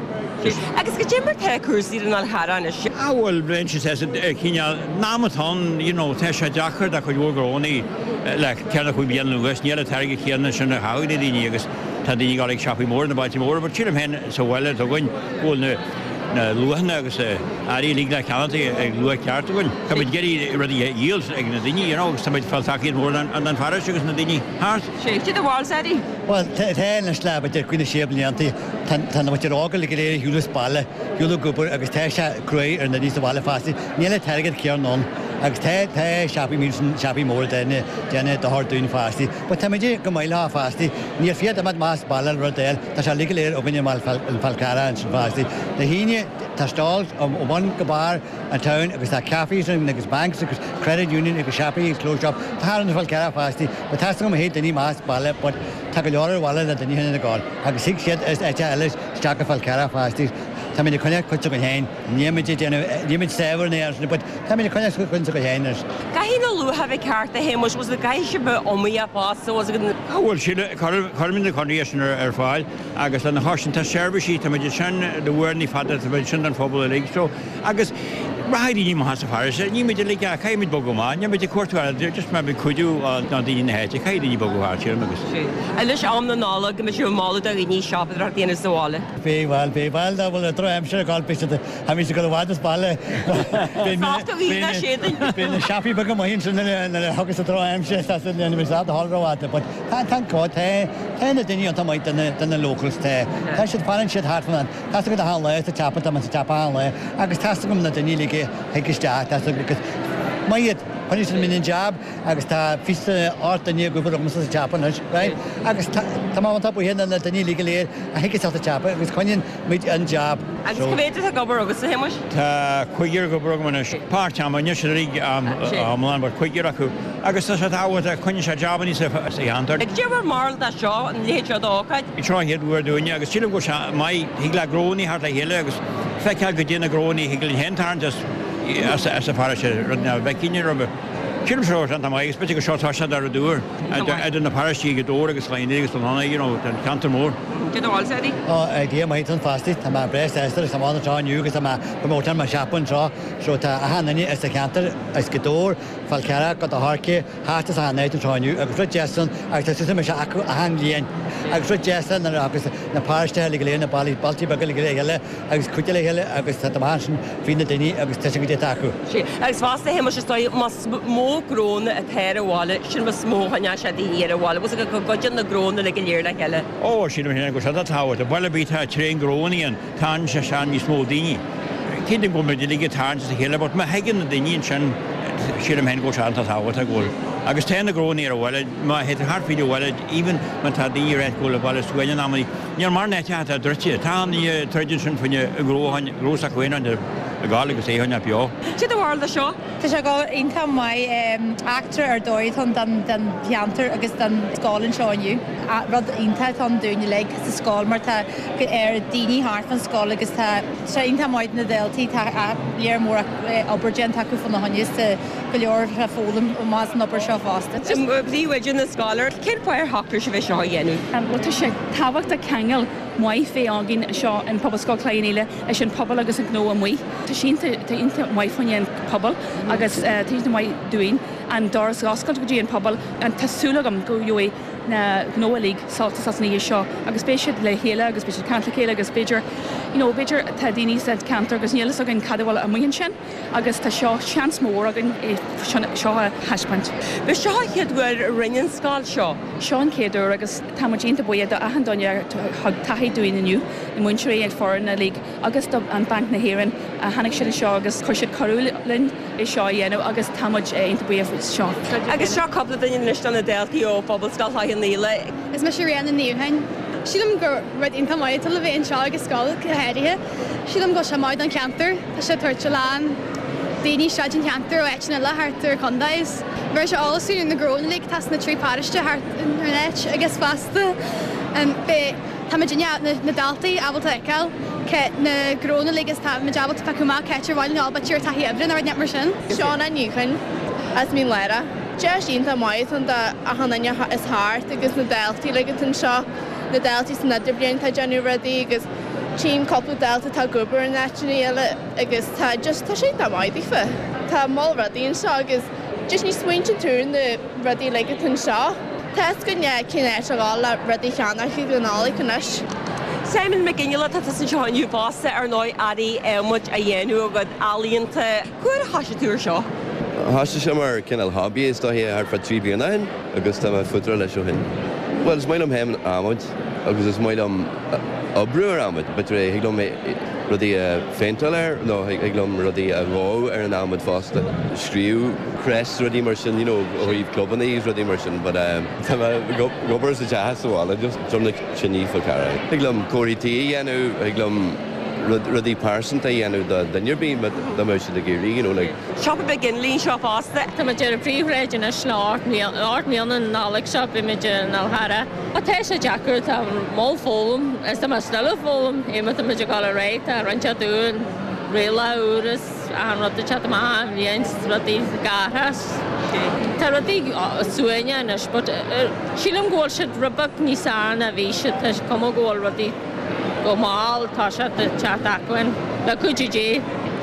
S1: Agus cad é mar tá cúrsaí ar an Fhál Charrach anois?
S11: Ah bhuel, bheinn sa cineál, in am atá ann, you know, tá sé deacair do chuid mhór gnónnaí le ceithre nó chúig bliana anuas, níl an t-airgead céanna sin a chaitheamh ag na daoine agus tá daoine ag dul ag siopaí móra, na bailte móra, but sílim féin sa bhaile atá againn go bhfuil na na luachanna agus na earraí uilig le ceannacht ag luach ceart againn. Tá muid ag iarraidh rudaí a dhíol ag na daoine, you know, agus tá muid ag fáil tacaíocht mhór den pharóiste agus na daoine thart.
S1: Sé, cad é do bharúil Eddie?
S7: Bhuel, tá anois le b'fhéidir cúig nó sé blianta, tá tá na muintir óga uilig go léir ar shiúl as baile, shiúl ag obair agus tá sé cruaidh ar na daoine sa bhaile fosta. Níl an t-airgead céanna ann agus tá tá siopaí mín siopaí móra déanamh déanamh dochar dúinn fosta. But tá muid go maith leo fosta. Níl fiat imeacht amach as baile le rud eile, tá sé uilig go léir againn i mBaile Fál Carrach ansin fosta. Na hAoine tá stalls ó bun go barr an town agus tá cafés ann agus banks agus credit union agus siopaí agus clothes shop. Tá thar an Fál Carrach fosta. But tá go maith daoine amach as baile but tá go leor ar bhaile le daoine ina gcáil agus thig siad as áite eile isteach go Fál Carrach fosta. Táimid ag coinneáil cuid s'againn féin. Níl muid ag déanamh, níl muid saibhir in aon chor, but táimid ag coinneáil cuid s'againn féin anois.
S1: Caithfidh na luacha a bheith ceart a Shéamuis, bhfuil caithfidh sibh bheith iomaíoch fosta, bhfuil agat.
S11: Bhuel, sílim, cuirimid na conarthaí sin ar fáil agus lena chois sin tá seirbhísí, táimid ansin le huaireanna fada, táimid ansin don phobal uilig so agus rachaidh daoine amach as an pharóiste, níl muid uilig, caithfidh muid bogadh amach, níl muid ag cuartú airgid, just mar muid cuidiú do daoine na háite, caithfidh daoine bogadh thart, sílim agus.
S1: Anois am na Nollag, go mbeidh sibh ag moladh do dhaoine siopadóireacht a dhéanamh sa bhaile.
S7: Beidh, bhuel, beidh, bhuel, dá bhfuil an drochaimsir ag gabháil, beidh siad, tháimid ag dul i bhfad as baile. Beidh na siopaí beaga amuigh ansin nuair a thiocfas an drochaimsir, tá siad, níl muid sásta a dhul rófhada, but tá, tá an cód, tá, tá na daoine iontach maith do na, do na locals, tá, tá siad, fanann siad thart fan, tá 's agat achan lá sa tsiopa, tá mé sa tsiopa achan lá agus tá 's agam na daoine uilig a thig isteach, tá 's agam agus maith iad, choinnigh siad an jab agus tá 28 duine ag obair agamsa sa tsiopa anois, right? Agus tá, tá mé iontach buíoch de na daoine uilig go léir a thig isteach sa tsiopa agus coinníonn muid an jab.
S1: Agus cá mhéad atá ag obair agatsa, a Shéamuis?
S11: Tá cúigear ag obair agam anois. Páirt ama, níl siad uilig am iomlán, but cúigear acu. Agus tá sé tábhachtach, coinníonn sé jabannaí sa cheantar.
S1: Cad é bhur mbarúil de seo, an leithéid seo d'ócáid?
S11: Seo an chéad uair dúinne agus sílim go bhfuil sé maith, thig le gnónnaí theacht le chéile agus feiceáil goidé na gnónnaí a thig linn féin tarraingt as as an pharóiste, rud nach bhfeicfinn roimhe. Sílim seo iontach maith agus b'fhéidir gur seo toiseacht ar rud úr idir na paróistí Gaoth Dobhair agus Cloich Cheann Fhaola agus Dún Cionnaith, you know, an ceantar mór.
S1: Cad é do bharúilsa, Eddie?
S7: Ó, idea maith atá ann fosta. Tá mé breá sásta leis an bhfad anseo inniu agus tá mé promoting mo shop anseo. So tá achan duine as an cheantar, as Gaoth Dobhair, Fál Carrach, Gort an Choirce, thart as achan áit anseo inniu agus rud deas ann agus tá suas mise acu achan bhliain agus rud deas ann nuair agus na paróistí uilig go léir, na bailí, bailtí beaga uilig le chéile agus cuidiú le chéile agus tá maith ansin faoi na daoine agus tá sin go dtí atá acu.
S1: Sea, agus fosta, a Shéamuis, is dóigh, más mó gnónna atá ar an bhaile, sin más mó a choinneoidh sé daoine ar an bhaile, bhfuil 's agat go gcuidíonn na gnónna uilig go léir le chéile.
S11: Ó, sílim féin go bhfuil sé tábhachtach. Baile ar bith atá tréan gnónnaí ann, Tagann sé sin níos mó daoine. Cinnte go bhfuil muid uilig ag tarraingt as a chéile but má thuigeann na daoine ansin sílim féin go bhfuil sé iontach tábhachtach go bhfuil agus tá na gnónnaí ar an bhaile, má théid tú thart fríd an bhaile even má tá daoine ag ráit go bhfuil an baile suain in amannaí, níl mórán áiteacha atá druidte. Tá an daoine ag troid ansin faoina gnó a choinneáil, gnó s'acu féin a fhágáil agus é a choinneáil beo.
S1: Cad é do bharúil de seo.
S12: Tá sé go iontach maith. Eachtra ar dóigh atá ann don cheantar agus don scoil anseo inniu. Rud iontach atá ann dúinn uilig sa scoil mar tá ar daoine thart fán scoil agus tá sé iontach maith do na daltaí, tá léar mór obair déanta acu fána choinne is tá go leor le foghlaim amach as an obair seo fosta.
S1: Príomhoide na scoile, cén fáth ar shocraigh sibh é seo a dhéanamh?
S5: Bhuel tá sé tábhachtach ceangal maith bheith againn anseo in Pobalscoil Chloich Cheann Fhaola leis an pobal agus an gnó amuigh. Tá sé iontach maith fá choinne an pobal agus tá iontach maith dúinn an doras a oscailt go dtí an pobal. Tá súil agam go gheobhaidh na gnó uilig sult as an oíche seo agus beidh siad le chéile agus beidh siad ag caint le chéile agus b'fhéidir you know b'fhéidir tá daoine sa cheantar agus níl fhios againn cad a bhfuil amuigh ansin agus tá seo seans mór againn é seo a thaispeáint.
S1: B'é seo an chéad uair a rinne an scoil seo.
S5: Seo an chéad uair agus tá muid iontach buíoch do achan duine a thug tacaíocht dúinn inniu, na múinteoirí, an foireann uilig agus do an Banc na hÉireann. Tháinig siad anseo agus chuir siad cuireadh linn é seo a dhéanamh agus tá muid iontach buíoch faoi seo.
S1: Agus seo cúpla duine anois de na daltaí ó Phobalscoil Chloich Cheann Fhaola.
S13: Is mise Ríona Ní Dhúcháin. Sílim gur rud iontach maith atá le bheith anseo ag an scoil go háirithe. Sílim go bhfuil sé maith don cheantar. Tá sé ag tabhairt a lán daoine isteach don cheantar ó áiteanna eile thart ar an chontae. Is bheir sé eolas dúinn ar na gnónna uilig atá sna trí paróiste thart ar an áit agus fosta beidh Tá muid na daltaí ábalta a fheiceáil cé na gnónna uilig is tá muid ábalta piocadh amach cá háit ar mhaith linn a dhul b'fhéidir ar taithí oibre nó rud inteacht mar sin.
S6: Shauna Ní Dhuinn as Mín Lárach. Deis iontach maith atá ann do achan duine is thart agus na daltaí uilig atá anseo, na daltaí san idirbhliain atá ag déanamh rudaí agus tchím cúpla dalta atá ag obair in áiteanna eile agus tá just tá sé iontach maith daofa. Tá moll rudaí anseo agus just ní smaointíonn tú ar na rudaí uilig atá anseo. Tá fhios againn cén áit a dhul le rudaí a cheannach ag an Nollaig anois.
S1: Simon Mac Fhionnghaile, tá tusa anseo inniu fosta, ar ndóigh, earraí adhmaid á dhéanamh agat, ealaíonta. Cá huair a thoisigh tú ar seo?
S14: Thoisigh sé mar cineál hobby is dóiche thart fá 3 bliana ó shin agus tá mé fuaite leis ó shin. Bhuel is maith liom féin adhmad agus is maith liom oibriú ar adhmad. B'fhéidir thig liom rudaí a phéinteáil air nó thig liom rudaí a dhó ar an adhmad fosta. Scríobh crests rudaí mar sin you know ó thaobh clubanna agus rudaí mar sin but tá mé ag obair sa teach sa bhaile just Droim na Tine Fál Carrach. Thig liom comharthaí tí a dhéanamh, thig liom. rudaí pearsanta a dhéanamh do dhuine ar bith dá mbeadh siad ag iarraidh, you know, like.
S1: Siopa beag inlín seo fosta.
S15: Tá muid ar an phríomhshráid anois le 8 mbliana an Nollaig seo beidh muid i nDál Chearra. Ach tá sé deacair, tá mall foghlaim is tá mé still ag foghlaim, má tá muid ag dul ar aghaidh, tá roinnt dúinn, rialacha úr is achan rud ag teacht amach achan bhliain, rudaí gathras. Tá rudaí suaimhneach anois but sílim go bhfuil siad rud beag níos fearr ná bhí siad, tá cuma go bhfuil rudaí go mall tá sé ag teacht acmhainn le cuidiú Dé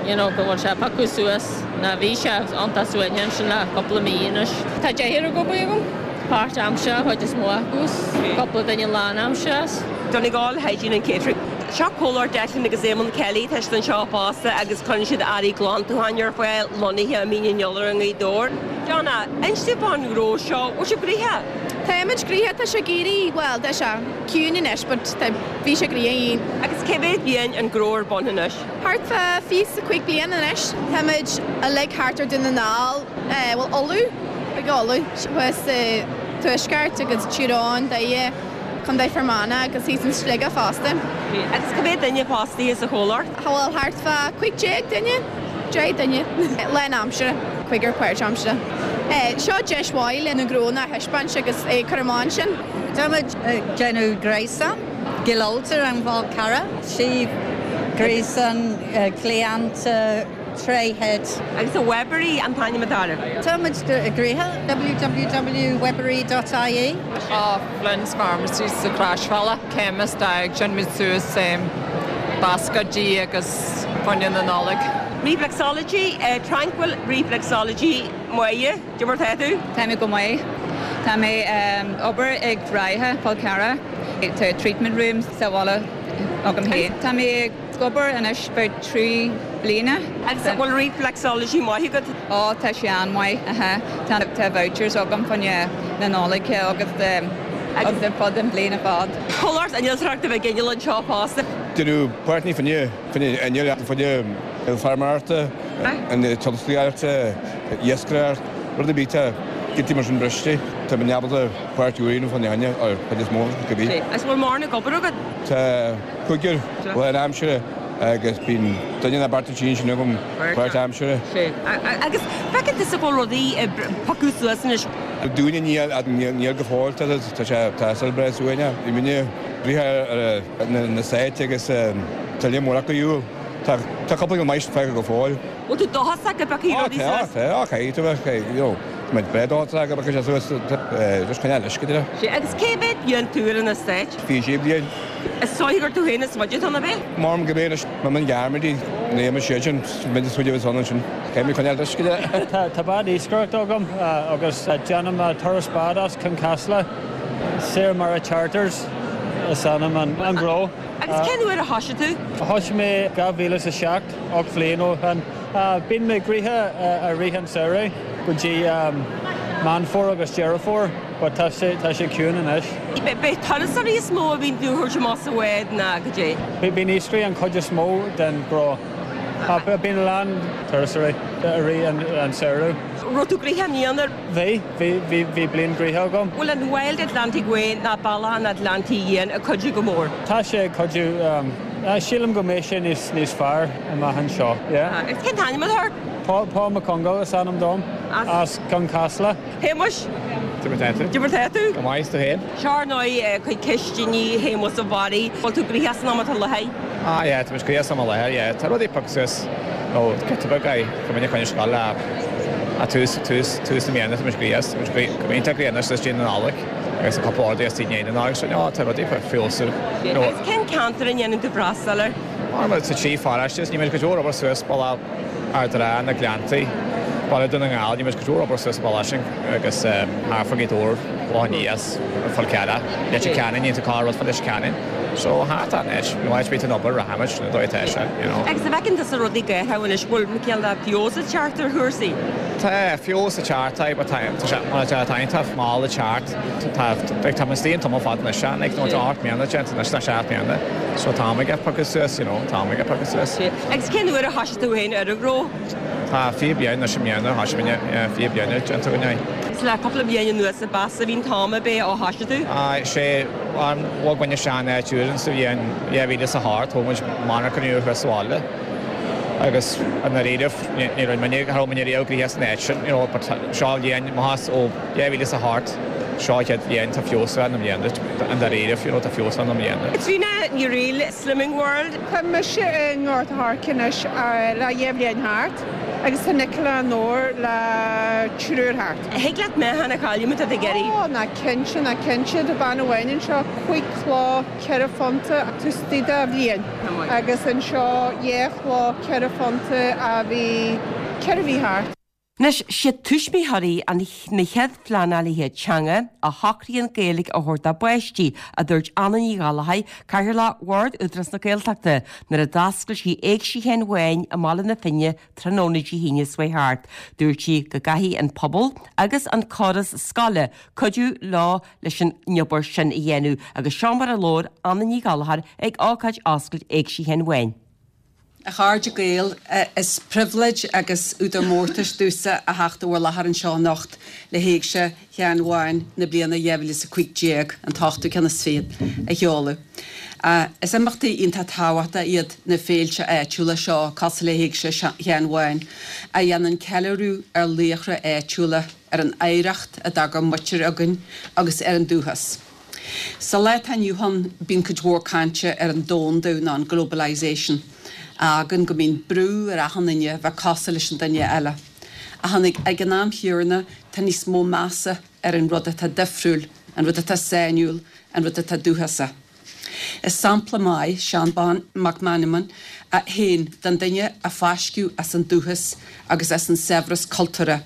S15: you know go bhfuil sé ag piocadh suas ná bhí sé iontach suaimhneach ansin le cúpla mí anois. Tá deichniúr ag obair agam, páirt aimsire an chuid is mó acu is cúpla duine lán aimsire is.
S1: Donegal Hygiene and Catering. Seo comhlacht Declan agus Éamonn Kelly, tá siad anseo fosta agus cuireann siad earraí glantúcháin ar fáil lonnaithe i Mín an Iolair i nGaoth Dobhair. Donna, inis dúinn fán ghnó seo, bhfuil sibh gnoitheach?
S6: Táimid gnoitheach, tá sé ag éirí, bhuel, tá sé ciúin anois but tá, bhí sé gnoitheach.
S1: Agus cé mhéad bliain an gnó ar bun anois?
S6: Thart fá 25 bliain anois. Táimid uilig thart ar Dún na nGall, bhuel Uladh, ag Uladh, thuas sa Tuaisceart agus Tír Eoghain, Doire, Contae Fear Manach agus thíos in Sligeach fosta.
S1: Agus cé mhéad duine fostaithe sa chomhlacht?
S6: Bhuel thart fá 15 duine, 10 duine lán aimsire, cúigear páirt aimsire. Seo deis mhaith le na gnónna a thaispeáint agus é cur amach ansin.
S9: Táimid ag déanamh gréasán, Cill Ulta an Fhál Carrach, suíomh gréasán cliant tréithead.
S1: Agus Webbery an t-ainm atá air.
S9: Táimid gnoitheach, www.webbery.ie.
S5: Ó, Flynn's Pharmacy sa Chroisbhealach, chemist ag déanamh suas bascaidí agus fá choinne na Nollag.
S1: Reflexology, Tranquil Reflexology, Máire. Cad é mar tá tú?
S5: Tá mé go maith. Tá mé ag obair ag Ráithe Fál Carrach. Tá treatment room sa bhaile agam féin. Tá mé ag obair anois about 3 bliana.
S1: Agus an bhfuil reflexology maith agat?
S5: Ó tá sé an-mhaith. Aha. Tá tá vouchers agam fá choinne na Nollag agus agus ar fud an bhliain ar fad.
S1: Comhlacht innealtóireachta Mhic Inneal anseo fosta.
S16: Déanamh páirteanna fá choinne fá choinne innill fá choinne feirmeoireachta, an tionsclaíochta, iascaireacht, rud ar bith tá giota mar sin briste, tá muid ábalta páirt úr a dhéanamh fá choinne ar chuid is mó cibé.
S1: Is bhfuil mórán ag obair agat?
S16: Tá cúigear lán aimsire agus bíonn duine nó beirt ansin sin agam páirt aimsire.
S1: Agus feiceann tusa go bhfuil rudaí ag piocadh suas anois?
S16: Dúinne níl go fóill, tá sé tá saol breá suaimhneach. Bhí muidne breithe ar na stáit agus tá líon mór acu ar shiúl. Tá cúpla go maith fágtha go fóill.
S1: Bhfuil tú dóchasach go bpiocfaidh rudaí suas?
S16: Tá, tá, caithfidh tú bheith, you know, tá muid breá dóchasach go bpiocfaidh sé suas, just coinneáil leis go deireadh.
S1: Sea, agus cé mhéad bliain tú ar an eastát?
S16: 26 bliain.
S1: Is dóigh gur tú féin is faide atá ann, ab ea?
S16: Maram go mb'é anois, má mbíonn gearmaidí, ní fhaigheann siad sin, muid is faide a bheas ann ansin. Caithfidh muid coinneáil leis go deireadh.
S4: Tá bád iascaireachta agam agus déanaim turas bád as Cionn Caslach, Saor Mara Charters is ainm an gnó.
S1: Agus cén uair a thoisigh tú?
S4: Thoisigh mé 2007, 8 bhliain ó shin. Bíonn mé gnoitheach i rith an samhradh go dtí Meán Fómhair agus Deireadh Fómhair but tá sé tá sé ciúin anois.
S1: B'é turasóirí is mó a bhíonn tú a thabhairt amach sa bhád ná goidé?
S4: Bíonn iascairí an chuid is mó den ghnó. Bíonn a lán turasóirí i rith an samhradh.
S1: Raibh tú gnoitheach i mbliana?
S4: Bhí, bhí, bhí, bhí bliain gnoitheach agam.
S1: Bhfuil an Wild Atlantic Way ná Bealach an Atlantaigh Fhiáin ag cuidiú go mór?
S4: Tá sé ag cuidiú. Sílim go mbeidh sé níos, níos fearr amach anseo, yeah.
S1: Agus cén t-ainm atá ort?
S4: Paul, Paul Mac Congáil is ainm dom, as Cionn Caslach.
S1: Shéamuis.
S16: Cad é mar tá tú?
S1: Cad é mar tá tú?
S16: Go maith, is tú féin?
S1: Seo ar ndóigh cuid cistiní Shéamuis a Bharraigh. Bhfuil tú gnoitheach san am atá i láthair?
S16: Ah yeah, tá muid gnoitheach san am i láthair, yeah. Tá rudaí ag piocadh suas, nó giota beag aye, go minic chun scoil a a tús, tús, tús na míonna tá muid gnoitheach, tá muid go iontach gnoitheach anois le déanamh na Nollag agus a cúpla orduithe istigh i ndiaidh na Nollag so no, tá rudaí ag feabhsú.
S1: Agus cén ceantar a ndéanann tú freastal air?
S16: Mar tá trí pharáiste, is níl muid go leor obair suas bealach Ard an Rátha, na Gleanntaí, Baile Dún na nGall, níl muid go leor obair suas an bealach sin agus thart fá Ghaoth Dobhair, Loch an Eas, Fál Carrach, Leitir Ceanainn, níl tú cá rud fá Leitir Ceanainn. So thart an áit, you know, áit bíonn an obair rachaimid, na dóigh atá sé, you know.
S1: Agus an bhfeiceann tusa rudaí ag athrú anois, bhfuil cineál de feabhas ag teacht ar chúrsaí?
S16: Tá feabhas ag teacht, tá, but tá, tá sé, mar atá, tá iontach mall ag teacht, tá, like, tá muid istigh an tamall fada anois, like, nó tá 8 mbliana déanta anois, tá 7 mbliana, so tá am ag piocadh suas, you know, tá am ag piocadh suas.
S1: Agus cén uair a thoisigh tú féin ar an ghnó?
S16: Tá 20 bliain anois i mbliana, thoisigh mé, yeah, 20 bliain déanta againn é.
S1: Is le cúpla bliain anuas a b'fheasa a bhí an t-am ab é ó thoisigh tú?
S16: Aye, sé an bhog muid isteach in áit úr sa bhliain 2008, thóg muid monarcha nua thuas sa bhaile agus i ndáiríribh ní raibh muidne, cha raibh muidne riamh gnoitheach san áit sin, you know, but seo an bhliain, maitheas ó 2008, seo an chéad bhliain tá feabhas ann i mbliana, i ndáiríribh, you know, tá feabhas ann i mbliana.
S1: Caitríona Ní Fhrighil, Slimming World.
S17: Tá mise i nGort a' Choirce anois le dhá bhliain thart agus tá Nicola i nDobhar le triúr thart.
S1: Thig leat meáchan a chailleadh má tá tú ag iarraidh.
S17: Ó, ná cinnte, ná cinnte. Tá bean amháin anseo, cúig chló ceithre phunta taobh istigh de bhliain agus anseo dhá chló ceithre phunta a bhí ceithre mhí thart.
S1: Anois, siad tuismitheoirí an na chéad phleanálaithe teanga a shocraíonn Gaeilge a thabhairt dá bpáistí, a dúirt Anna Ní Ghallchóir, Cathaoirleach Bhord Údarás na Gaeltachta, nuair a d'oscail sí Éigse Sheáin Bháin i mBaile na Finne tráthnóna Dé hAoine seo thart. Dúirt sí go gcaithfidh an pobal agus an córas scoile cuidiú leo leis an obair sin a dhéanamh agus seo mar a labhair Anna Ní Ghallchóir ag ócáid oscailt Éigse Sheáin Bháin.
S18: A chairde Gael, is pribhléid agus údar mórtais domhsa a theacht i bhur láthair anseo anocht le hÉigse Sheáin Bháin na bliana 2015, an t-ochtú ceann is fichead, a sheoladh. Is imeachtaí iontach tábhachtacha iad na féilte áitiúla seo, cosúil le hÉigse Sheáin Bháin, a dhéanann ceiliúradh ar laochra áitiúla, ar an oidhreacht a d'fhág ár muintir againn agus ar an dúchas. Sa lá atá inniu ann, bíonn cuid mhór cainte ar an domhandú nó an globalisation, a fhágann go mbíonn brú ar achan duine bheith cosúil leis an duine eile. Ach ag an am chéanna, tá níos mó measa ar an rud atá difriúil, an rud atá sainiúil, an rud atá dúchasach. Is sampla maith Seán Bán Mac Meanman féin den duine a fáisceadh as an dúchas agus as an saibhreas cultúrtha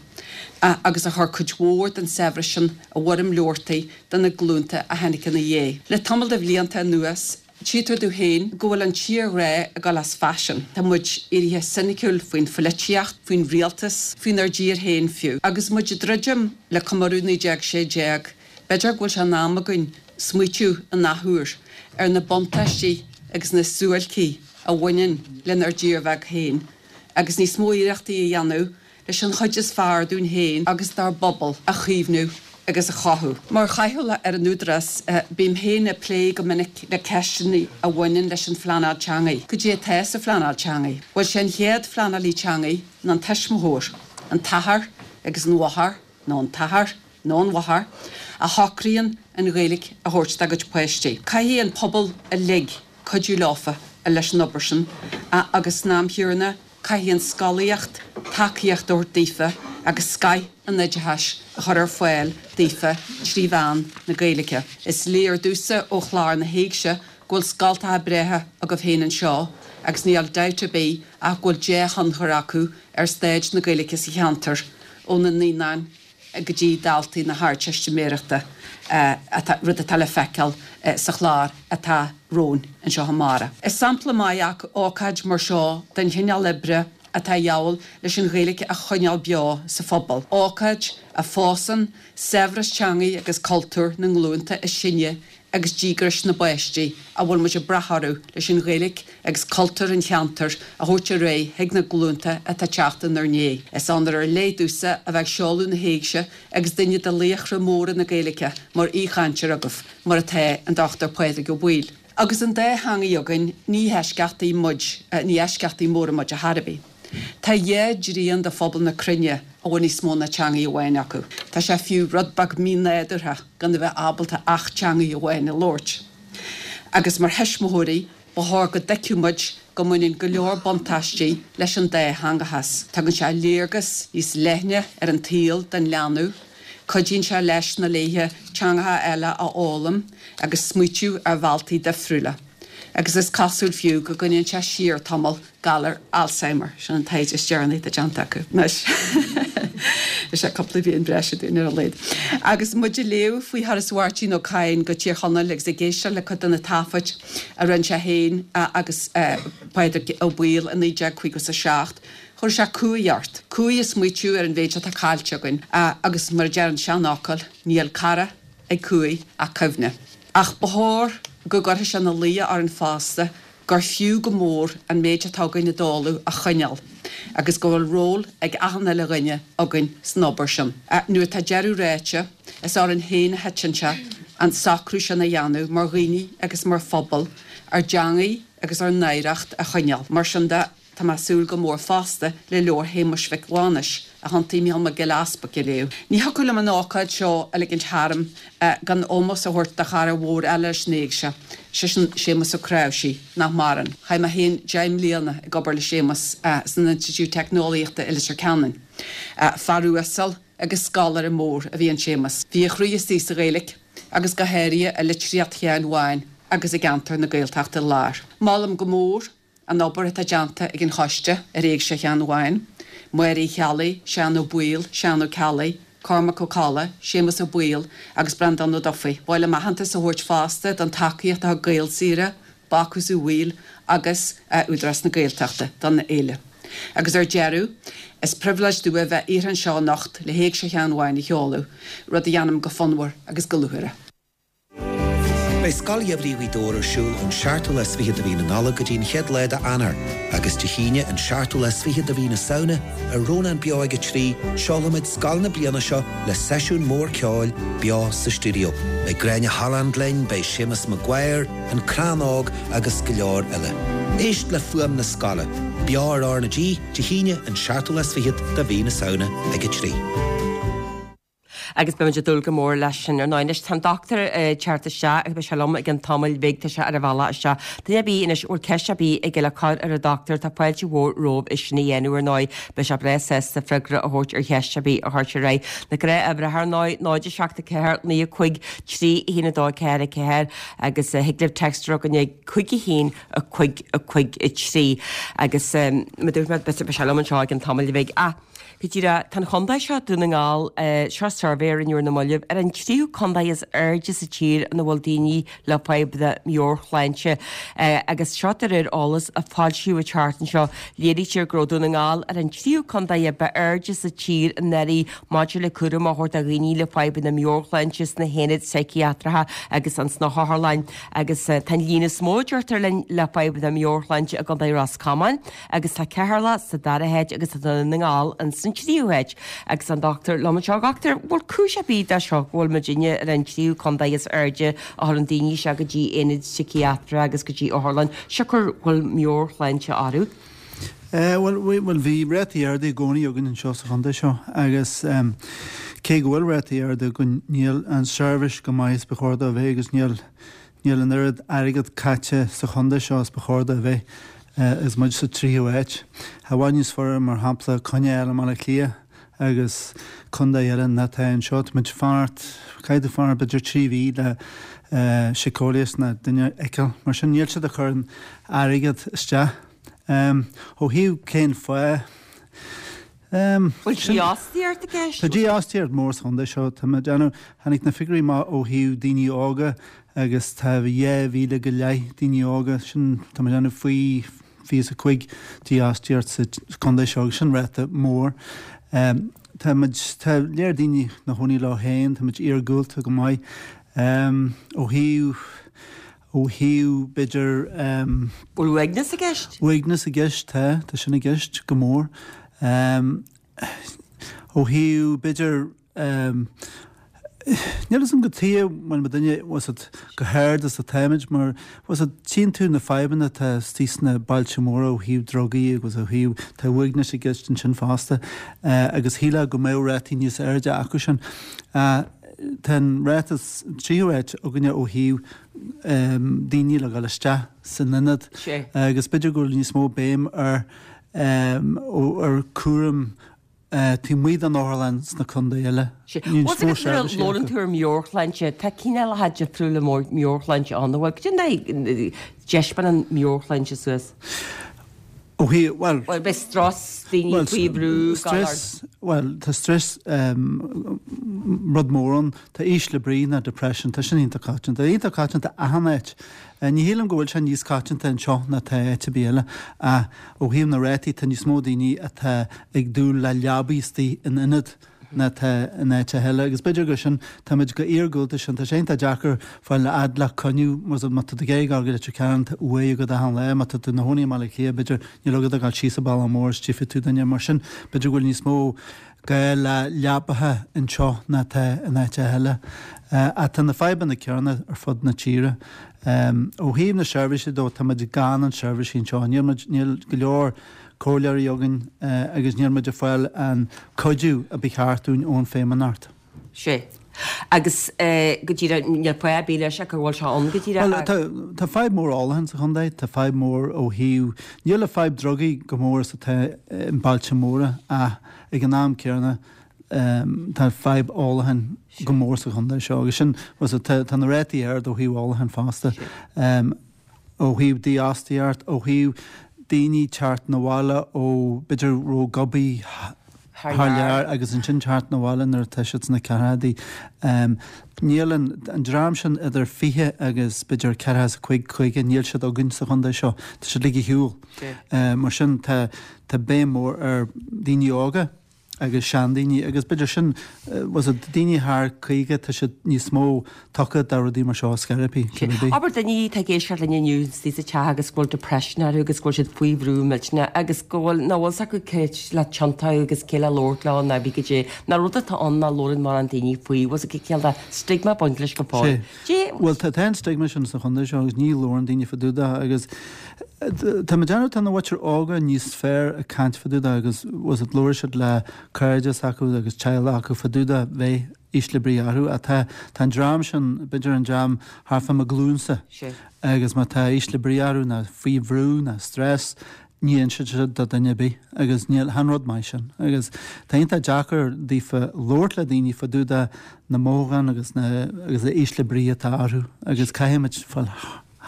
S18: agus a chuir cuid mhór den saibhreas sin i bhfoirm leabhartaí do na glúnta a tháinig ina dhiaidh. Le tamall de bhlianta anuas, tchítear domh féin go bhfuil an tírghrá ag dul as faisean. Tá muid éirithe soiniciúil faoin pholaitíocht, faoin rialtas, faoinár dtír féin fiú. Agus muid ag druidim le comóradh 1916, B'fhéidir go bhfuil sé in am againn smaoitiú an athuair ar na buntáistí agus na suáilcí a bhaineann lenár dtír bheag féin agus níos mó iarrachtaí a dhéanamh leis an chuid is fearr dúinn féin agus dár bpobal a chaomhnú agus a chothú. Mar chathaoirleach ar an Údarás, bím féin ag plé go minic le ceisteanna a bhaineann leis an phleanáil teangaidh. Cad é atá sa phleanáil teangaidh? Bhuel, sé an chéad phleanálaí teangaidh ná an tuismitheoir, an t-athair agus an mháthair nó an t-athair nó an mháthair, a shocraíonn an Ghaeilge a thabhairt dá gcuid páistí. Caithfidh an pobal uilig cuidiú leofa leis an obair sin agus san am chéanna caithfidh an scolaíocht tacaíocht a thabhairt daofa agus scoth an oideachais a chur ar fáil daofa trí mheán na Gaeilge. Is léir domhsa ó chlár na hÉigse go bhfuil scoltacha breátha agaibh féin anseo agus níl dabht ar bith ach go bhfuil dea-thionchar acu ar staid na Gaeilge sa cheantar ó na naíonáin go dtí daltaí na hArdteistiméireachta, rud atá le feiceáil sa chlár atá romhainn anseo amárach. Is sampla maith ócáid mar seo den chineál oibre atá a dhíobháil leis an Ghaeilge a choinneáil beo sa phobal, ócáid a fhásann saibhreas teangaidh agus cultúir na nglúnta is sine agus díograis na bpáistí a bhfuil muid ag brath orthu leis an Ghaeilge agus cultúr an cheantair a thabhairt ar aghaidh chuig na glúnta atá ag teacht inár ndiaidh. Is onóir ar leith domhsa a bheith ag seoladh na hÉigse agus duine de laochra móra na Gaeilge mar aoichainteoir agaibh, mar atá an Dr Pádraig Ó Baoill. Agus an dá theangaidh againn, ní heisceachtaí muid, ní eisceachtaí móra muid ar chor ar bith. Tá dhá dtrian de phobal na cruinne a bhfuil níos mó ná teangaidh amháin acu. Tá sé fiú rud beag mí-nádúrtha gan a bheith ábalta ach teangaidh amháin a labhairt. Agus mar thuismitheoirí, ba chóir go dtuigfeadh muid go mbaineann go leor buntáistí leis an dátheangachas. Tugann sé léargas níos leithne ar an tsaol don leanbh, cuidíonn sé leis nó léithe teangacha eile a fhoghlaim agus smaoitiú ar bhealtaí difriúla. Agus is cosúil fiú go gcoinníonn sé siar tamall galar Alzheimer, sin an taighde is deireanaí atá déanta acu anois. Is é cúpla bliain breise dúinn ar a laghad. Agus muid ag léamh faoi thuras Mháirtín Ó Cadhain go Tír Chonaill agus ag éisteacht le cuid de na taifid a rinne sé féin agus Pádraig Ó Baoill i 1957, chuir sé cumhaidh ort. Cumhaidh ag smaoitiú ar an mhéid atá caillte againn agus mar a deir an seanfhocal, níl cara ag cumhaidh ach cuimhne. Ach ba chóir go gcuirfeadh sé ina luí orainn fosta gur fiú go mór an méid atá againn i dtólamh a choinneáil. agus go bhfuil ról ag achan uile dhuine againn san obair sin. Nuair atá deireadh ráite, is orainn féin a thiteann sé an socrú sin a dhéanamh mar dhaoine agus mar phobal, ár dteangaidh agus ár n-oidhreacht a choinneáil. Mar sin de, tá mé ag súil go mór fosta le leabhar Shéamuis Mhic Mhánais, a thiontaigh Mícheál Mac Giolla Easbuig a léamh. Ní thiocfadh liom an ócáid seo a ligint tharam gan ómós a thabhairt do chara mhór eile leis an Éigse, sé sin Séamus Ó Cnáimhsí, nach maireann. Chaith mé féin 10 mbliana ag obair le Séamus san Institiúid Teicneolaíochta i Leitir Ceanainn. Fear uasal agus scoláire mór a bhí in Séamus. Bhí a chroí istigh sa Ghaeilge agus go háirithe i litríocht Sheáin Bháin agus i gceantar na Gaeltachta Láir. Molaim go mór An obair atá déanta ag an choiste ar Éigse Sheáin Bháin, Máire Uí Cheallaigh, Seán Ó Baoill, Seán Ó Ceallaigh, Cormac Ó Colla, Séamus Ó Baoill agus Breandán Ó Dufaigh. Ba mhaith liom aitheantas a thabhairt fosta don tacaíocht a thug Gaelsaoire, Bácús Uí Bhaoill agus Údarás na Gaeltachta don fhéile. Agus ar deireadh, is pribhléid domh a bheith iarrtha anseo anocht le hÉigse Sheáin Bháin a sheoladh, rud a dhéanaim go fonnmhar agus go lúcháireach.
S19: Beidh Scoil Gheimhridh Ghaoth Dobhair ar siúl ón seachtú lá is fichead de mhí na Nollag go dtí an chéad lá de Eanáir agus Dé hAoine an seachtú lá is fichead de mhí na Samhna ar Rónán Beo ag 3, seolfaimid scoil na bliana seo le seisiún mór ceoil beo sa stiúideo. Beidh Gráinne Holland linn, beidh Séamus Maguire, An Crann Óg agus go leor eile. Éist le fuaim na scoile, beo ar R na G, Dé hAoine an seachtú lá is fichead de mhí na Samhna ag 3.
S1: Agus beimid ag dúil go mór leis sin ar ndóigh. Anois tá an dochtúir ag teacht isteach agus beidh sé liom i gcionn tamaill bhig, tá sé ar a bhealach isteach. Duine ar bith anois a bhfuil ceist ar bith aige le cur ar an dochtúir, tá fáilte mhór romhaibh é sin a dhéanamh ar ndóigh. Beidh sé breá sásta freagra a thabhairt ar cheist ar bith a chuirtear air. Na gnáthuimhreacha ar ndóigh, 0 7 4 9 5 3 1 2 4 4 agus thig libh text a chur chugainn ag 5 1 5 5 3 agus mar a dúirt mé beidh sé liom anseo i gcionn tamaill bhig. Ach Go díreach, tá an chontae seo, Dún na nGall, seo suirbhé a rinneadh ar na mallaibh, ar an tríú contae is airde sa tír ina bhfuil daoine le fadhbanna meabhairshláinte. Agus seo de réir eolas a foilsíodh an tseachtain seo. Léirítear go raibh Dún na nGall ar an tríú contae a ba airde sa tír anuraidh maidir le cúram a thabhairt do dhaoine le fadhbanna meabhairshláinte sna haonaid síciatracha agus ins na hotharlanna. Agus tá an líon is mó, deirtear linn, le fadhbanna meabhairshláinte i gContae Ros Comáin. Agus tá Ceatharlach sa dara háit agus tá Dún na nGall ins an tríú háit. Agus an dochtúir liom anseo, a dhochtúir, bhfuil cúis ar bith de seo go bhfuil muidinne ar an tríú contae is airde a chuireann daoine isteach go dtí aonaid síciatracha agus go dtí otharlann, siocair go bhfuil meabhairshláinte orthu?
S20: Bhuel, bhuel, bhí rátaí arda i gcónaí againn anseo sa chontae seo agus cé go bhfuil rátaí arda againn, níl an seirbhís chomh maith is ba chóir dó a bheith agus níl Níl an oiread airgead caite sa chontae seo is ba chóir dó a bheith agus muid sa tríú háit. I bhfad níos fearr mar shampla coinne a fháil i mBaile Átha Cliath agus contae eile ná atá anseo. Tá muid ag fanacht, caithfidh tú fanacht b'fhéidir 3 mhí le síceolaí nó duine a fheiceáil. Mar sin níl siad ag cur an airgead isteach. Ó thaobh cén fáth?
S1: Bhfuil dífhostaíocht i gceist?
S20: Tá dífhostaíocht mór sa chontae seo. Tá mé ag déanamh, tháinig na figiúirí amach ó thaobh daoine óga agus tá 2,000 go leith daoine óga, sin, tá mé ag déanamh faoi 25 dífhostaíocht sa chontae seo agus sin ráta mór. Tá muid, tá léir daoine ina chónaí leo féin, tá muid iargúlta go maith. Ó thaobh. Ó thaobh, b'fhéidir.
S1: Bhfuil uaigneas i gceist?
S20: Uaigneas i gceist, tá, tá sin i gceist go mór. Ó thaobh, b'fhéidir, níl fhios agam cad chuige a bhfuil muidinne, bhfuil fhios agat, chomh hard is atáimid mar, bhfuil fhios agat, tchíonn tú na fadhbanna atá istigh sna bailte móra ó thaobh drugaí agus ó thaobh, tá uaigneas i gceist ansin fosta agus shílfeá go mbeadh rátaí níos airde acu sin. Tá an ráta tríú háit againne ó thaobh daoine le dhul isteach san ionad agus b'fhéidir go bhfuil níos mó béim ar ar cúram taobh amuigh den otharlann sna contae eile.
S1: Níos mó seirbhísí acu. Labhrann tú ar meabhairshláinte, tá cineálacha difriúla meabhairshláinte ann, an bhfuil? Cad é dtaispeánann meabhairshláinte suas?
S20: Ó thaobh, bhuel.
S1: Bhuel, beidh strus, daoine faoi bhrú,
S20: galar. Stress, bhuel, tá stress rud mór ann. Tá ísle brí ná depression, tá sin iontach coitianta. Iontach coitianta achan áit. Ní shílim go bhfuil sé níos coitianta anseo ná tá áit ar bith eile ach ó thaobh na rátaí tá níos mó daoine atá ag dúil le leabaí istigh in ionad. ná atá in áiteacha eile agus b'fhéidir gur sin, táimid chomh iargúlta sin, tá sé iontach deacair fáil a fhad le coinniú má tá tú ag iarraidh dul go Leitir Ceanainn tá uaigh agat achan lá, má tá tú i do chónaí i mBaile Átha Cliath b'fhéidir níl agat ach dul síos an bealach mór is tchífidh tú duine, mar sin b'fhéidir go bhfuil níos mó gá le leapacha anseo ná atá in áiteacha eile. Ach tá na fadhbanna céanna ar fud na tíre. Ó thaobh na seirbhísí dó, táimid gann an seirbhísí anseo. Níl muid, níl go leor comhairleoirí againn agus níl muid ag fáil an cuidiú a ba cheart dúinn ón Feidhmeannacht.
S1: Sea. Agus go díreach, níl fáth ar bith leis ach go bhfuil sé ann go díreach.
S20: Bhuel, tá, tá fadhb mór ólacháin sa chontae, tá fadhb mór ó thaobh, níl an fadhb drugaí chomh mór is atá i mbailte móra ach ag an am céanna tá fadhb ólacháin go mór sa chontae seo agus sin, bhuel, tá, tá na rátaí ard ó thaobh ólacháin fosta. ó thaobh dífhostaíocht, ó thaobh daoine teacht 'na bhaile ó b'fhéidir raibh ag obair thar lear agus ansin teacht 'na bhaile nuair atá siad sna ceathrachaidí. Níl an an dream sin idir 20 agus b'fhéidir 45, 50, níl siad againn sa chontae seo. Tá siad uilig ar shiúl. Mar sin tá tá béim mhór ar daoine óga. agus seandaoine agus b'fhéidir sin was it daoine thar 50 tá siad níos mó tugtha do rudaí mar seo sceiripí cibé
S1: bith. Abair duine atá ag éisteacht linn inniu istigh sa teach agus go bhfuil depression orthu agus go bhfuil siad faoi bhrú millteanach agus go bhfuil nach bhfuil 's acu cé le tiontú agus cé le labhairt leo ná bhí goidé ná rud atá ann nach labhrann mórán daoine faoi was it cineál de stigma ag baint leis go fóill.
S20: Sea. Bhuel tá tá an stigma sin sa chontae seo agus ní labhrann daoine fá dtaobh de agus tá mé ag déanamh tá na mhuintir óga níos fearr ag caint fá dtaobh de agus was it labhair siad le cairde s'acu agus teaghlach acu fá dtaobh de bheith ísle brí orthu ach tá tá an dream sin b'fhéidir an dream thart fá mo ghlúinsa agus má tá ísle brí orthu ná faoi bhrú ná stress ní inseann siad do duine ar bith agus níl chan rud maith sin agus tá iontach deacair daofa labhairt le daoine fá dtaobh de na mothúcháin agus na agus na ísle brí atá orthu agus caithfimid fáil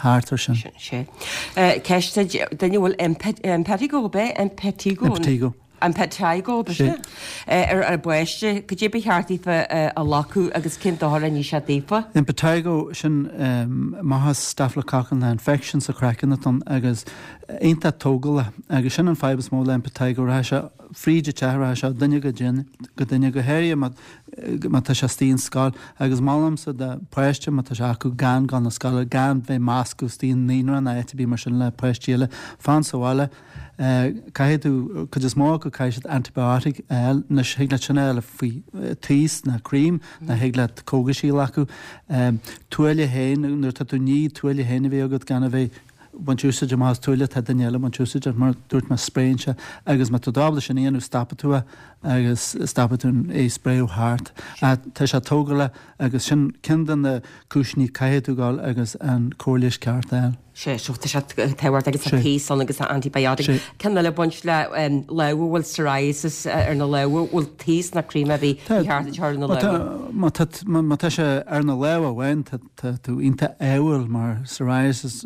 S20: thart ar sin.
S1: Sea. Ceist duit, duine a bhfuil impetigo, ab é? Impetigo?
S20: Impetigo.
S1: Impetigo, ab ea? Ar an bpáiste, cad é ba cheart daofa a ghlacadh agus cén dochar a ní sé daofa?
S20: Impetigo, sin maitheas staphylococcal ná infection sa chraiceann atá ann agus iontach tógálach agus sin an fadhb is mó le impetigo, rachaidh sé fríd an teach, rachaidh sé ó duine go duine, go duine, go háirithe má má tá sé istigh in scoil agus molaimse do pháiste má tá sé acu gan dul na scoile, gan bheith meascadh istigh i naíonra ná áit ar bith mar sin le páistí eile, fan sa bhaile. Caithfidh tú, cuid is mó acu caithfidh siad antibiotic a fháil, anois thig leat sin a fháil faoi taos ná cream ná thig leat cógaisí a ghlacadh. Tuáille féin, nuair atá tú ag ní tuáille féin a bheith agat gan a bheith baint úsáid amach as tuáille atá duine eile ag baint úsáid as, mar dúirt mé spréann sé agus má tá tú ábalta sin a dhéanamh stopfaidh tú é agus stopfaidh tú é spréadh thart. Tá sé tógálach agus sin ceann de na cúiseanna caithfidh tú dul agus an cóir leighis ceart a fháil.
S1: Sea, so tá sé tábhachtach agus tá taos ann agus tá antibiotic. Ceann eile ag baint le lámha, bhfuil psoriasis ar na lámha, bhfuil taos ná cream ar bith ba cheart a chur ar na lámha?
S20: Má tá má tá sé ar na lámha amháin tá tá tú iontach ádhúil mar psoriasis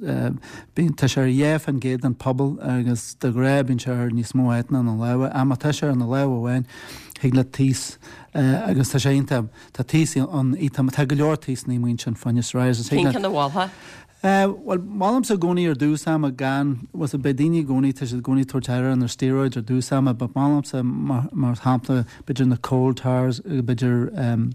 S20: bíonn tá sé ar 2% den pobal agus de ghnáth bíonn sé ar níos mó áit ná na lámha. Ach má tá sé ar na lámha amháin thig leat taos agus tá sé iontach tá taos ann iontach tá go leor taosanna amuigh ansin fá choinne psoriasis.
S1: Cén ceann a mholfá?
S20: Bhuel, molaimse i gcónaí ar dtús ama gan, bhuel, beidh daoine i gcónaí, tá siad i gcónaí ag tabhairt aire ar na steroids ar dtús ama, but molaimse mar, mar shampla, b'fhéidir na coal tars, b'fhéidir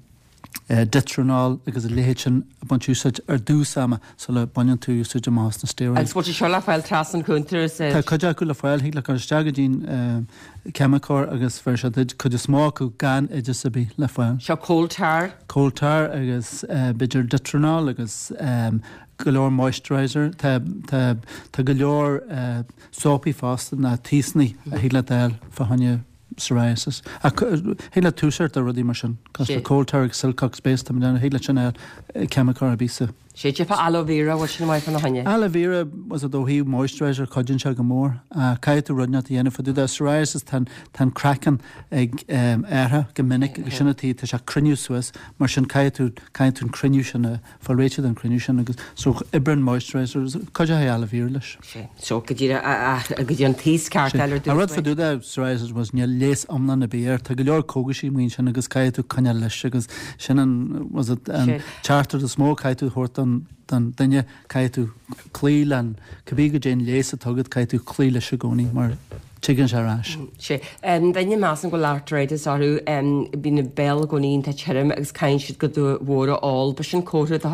S20: dithranol agus a leithéid sin a baint úsáid ar dtús ama sula baineann tú úsáid amach as na steroids.
S1: Agus bhfuil sé seo le fáil trasna an chuntair is.
S20: Tá cuid acu le fáil, thig leat dul isteach go dtí'n ceimiceoir agus bheir sé duit, cuid is mó acu gan oideas ar bith le fáil.
S1: Seo coal tar.
S20: Coal tar agus b'fhéidir dithranol agus go leor moisturiser. Tá, tá, tá go leor sópaí fosta ná taosanna a thig leat a fháil fá choinne psoriasis. Ach thig leat tús a chur de rudaí mar sin, cosúil le coal tar agus Silcock's Base, tá mé ag déanamh, thig leat sin a fháil ceimiceoir ar bith sa.
S1: Sé cad é fá aloe vera, bhfuil sin maith fána choinne?
S20: Aloe vera, was it ó thaobh moisturiser, cuidíonn sé go mór. Caithfidh tú rud inteacht a dhéanamh fá dtaobh de. Psoriasis, tá tá an craiceann ag athrú go minic agus sin an tuige, tá sé ag cruinniú suas, mar sin caithfidh tú, caithfidh tú an cruinniú sin a, fáil réitithe den chruinniú sin agus so oibríonn moisturiser, cuideoidh aloe vera leis.
S1: Sea, so go díreach, go dtí an taos ceart a fháil ar dtús.
S20: An rud fá dtaobh de psoriasis was níl leigheas iomlán ar bith air, tá go leor cógaisí amuigh ansin agus caithfidh tú coinneáil leis agus sin an, was it, an teachtaireacht is mó a caithfidh tú a thabhairt don, don duine, caithfidh tú cloí le an, cibé goidé an leigheas atá agat, caithfidh tú cloí leis i gcónaí mar. Tigeann sé ar ais.
S1: Sea. Daoine measaim go bhfuil arthritis orthu, bíonn a mbéal i gcónaí iontach tirim agus caithfidh siad cuid mhór a ól. B'shin comhartha de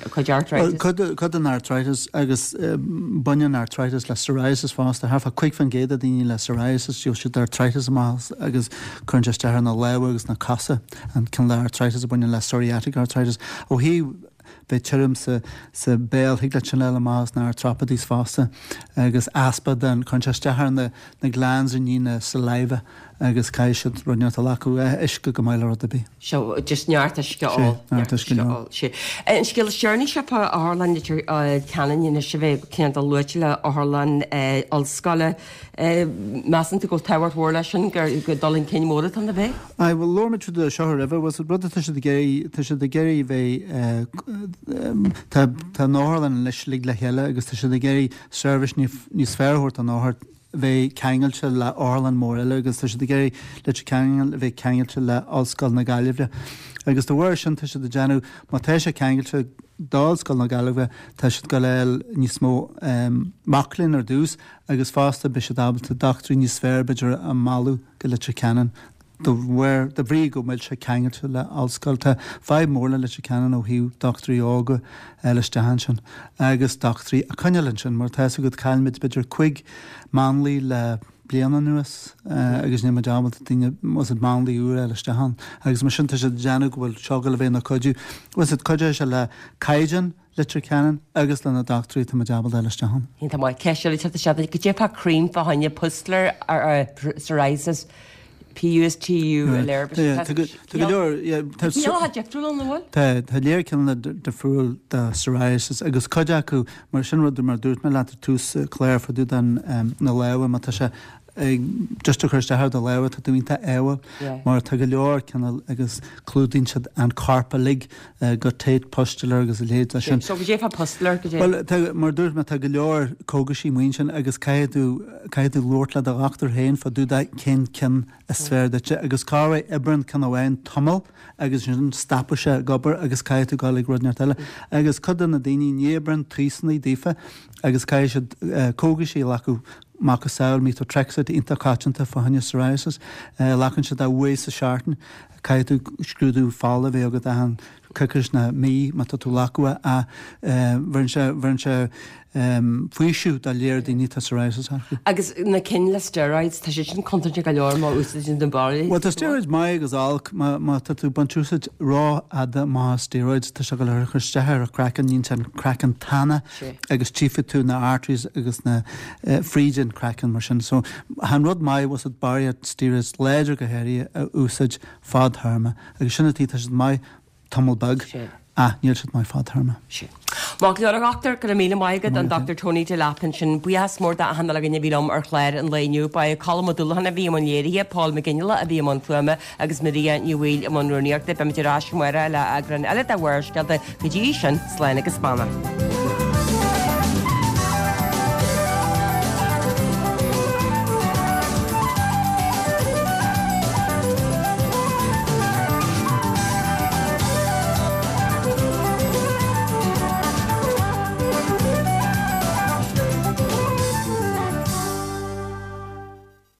S1: chuid arthritis.
S20: Bhuel, cuid den arthritis agus baineann arthritis le psoriasis fosta. Thart fá 5% de daoine le psoriasis, gheobhaidh siad arthritis amach agus cuireann sé isteach ar na lámha agus na cosa, an cineál arthritis a bhaineann le psoriatic arthritis. Ó thaobh bheith tirim sa sa béal, thig leat sin a fháil amach as na arthropathies fosta agus easpa den, cuireann sé isteach ar na na glands i ndiaidh na saliva agus caithfidh siad rud inteacht a ghlacadh, uisce go maith le rud ar bith.
S1: Seo, just neart uisce a ól.
S20: Sea, neart uisce a ól.
S1: Sea. An scéal is deireanaí seo fá Otharlann Leitir Ceanainn anois a bheith cineál luaite le Otharlann Ollscoile. Measann tú go bhfuil tábhacht mhór leis sin, gur dul chun cinn mór atá ann ab é?
S20: Aye, bhuel, labhair muid faoi seo roimhe, bhuel, rud atá siad ag iarraidh, tá siad ag iarraidh bheith, tá, tá an otharlann anois uilig le chéile agus tá siad ag iarraidh seirbhís níos fearr a thabhairt don othar, bheith ceangailte le otharlann mór eile agus tá siad ag iarraidh Leitir Ceanainn a bheith ceangailte le Ollscoil na Gaillimhe. Agus de bharr sin tá siad ag déanamh, má tá sé ceangailte d'Ollscoil na Gaillimhe, tá siad ag dul a fháil níos mó mac léinn ar dtús agus fosta beidh siad ábalta dochtúirí níos fearr b'fhéidir a mhealladh go Leitir Ceanainn de bharr, de bhrí go bhfuil sé ceangailte le ollscoil. Tá fadhb mór le Leitir Ceanainn ó thaobh dochtúirí óga a fháil isteach ansin agus dochtúirí a choinneáil ansin mar tá fhios agat chaillimid b'fhéidir 5 máinlia le bliain anuas agus níl muid ábalta daoine, bhfuil fhios agat, máinlia úr a fháil isteach ann agus mar sin tá siad ag déanamh go bhfuil seo ag dul a bheith ina cuidiú, bhfuil fhios agat, cuideoidh sé le caighdeán Leitir Ceanainn agus le na dochtúirí atá muid ábalta a fháil isteach ann.
S1: Iontach maith. Ceist eile teacht isteach duit. Goidé fá cream fá choinne pustular psoriasis, P-U-S-T-U-L-A-R.
S20: Tá go leor, yeah.
S1: Tá cineálacha difriúla ann, an bhfuil?
S20: Tá, tá léar cineálacha difriúil de psoriasis agus cuid acu, mar sin rud mar dúirt mé leat ar tús cláir fá dtaobh den na lámha, má tá sé ag just ag cur isteach ar do lámha, tá tú iontach ádhúil mar tá go leor cineál agus clúdaíonn siad an corp uilig guttate pustular agus a leithéid de sin.
S1: So goidé fá pustular, goidé?
S20: Bhuel, tá, mar a dúirt mé, tá go leor cógaisí amuigh ansin agus caithfidh tú, caithfidh tú labhairt le do dhochtúir féin fá dtaobh de cén ceann is fearr duitse agus corruair oibríonn ceann amháin tamall agus ansin stopfaidh sé ag obair agus caithfidh tú dul ag rud inteacht eile. Agus cuid de na daoine ní oibríonn taosannaí daofa agus caithfidh siad cógaisí a ghlacadh macasamhail methotrexate iontach coitianta fá choinne psoriasis. Glacann siad é uair sa seachtain. Caithfidh tú scrúdú fola a bheith agat achan coicís nó mí má tá tú ag glacadh é. Bheireann sé, bheireann sé faoiseamh do léar daoine atá psoriasis acu.
S1: Agus na cinn le steroids, tá siad sin contúirteach go leor má úsáideann tú barraíocht.
S20: Bhuel tá steroids maith agus olc. Má, má tá tú ag baint úsáid rófhada amach as steroids, tá sé ag dul a chur isteach ar an craiceann, níonn sé an craiceann tana agus tchífidh tú na arteries agus na fríd an craiceann mar sin. So chan rud maith bhfuil fhios agat barraíocht steroids láidir go háirithe a úsáid fadthéarma agus sin an tuige tá siad maith tamall beag ach níl siad maith fadthéarma.
S1: Sin. Maith go leor a dhochtúir, go raibh míle maith agat, an Dr Tony Delap ansin. Buíochas mór d'achan uile dhuine a bhí liom ar chlár an lae inniu. Ba é Colm Ó Dúlacháin a bhí i mbun léirithe, Paul McGinley a bhí i mbun fuaime agus Maria Ní Bhaoill i mbun rúnaíochta. Beimid ar ais amárach le eagrán eile de Bharrscéalta. Go dtí sin, slán agus beannacht.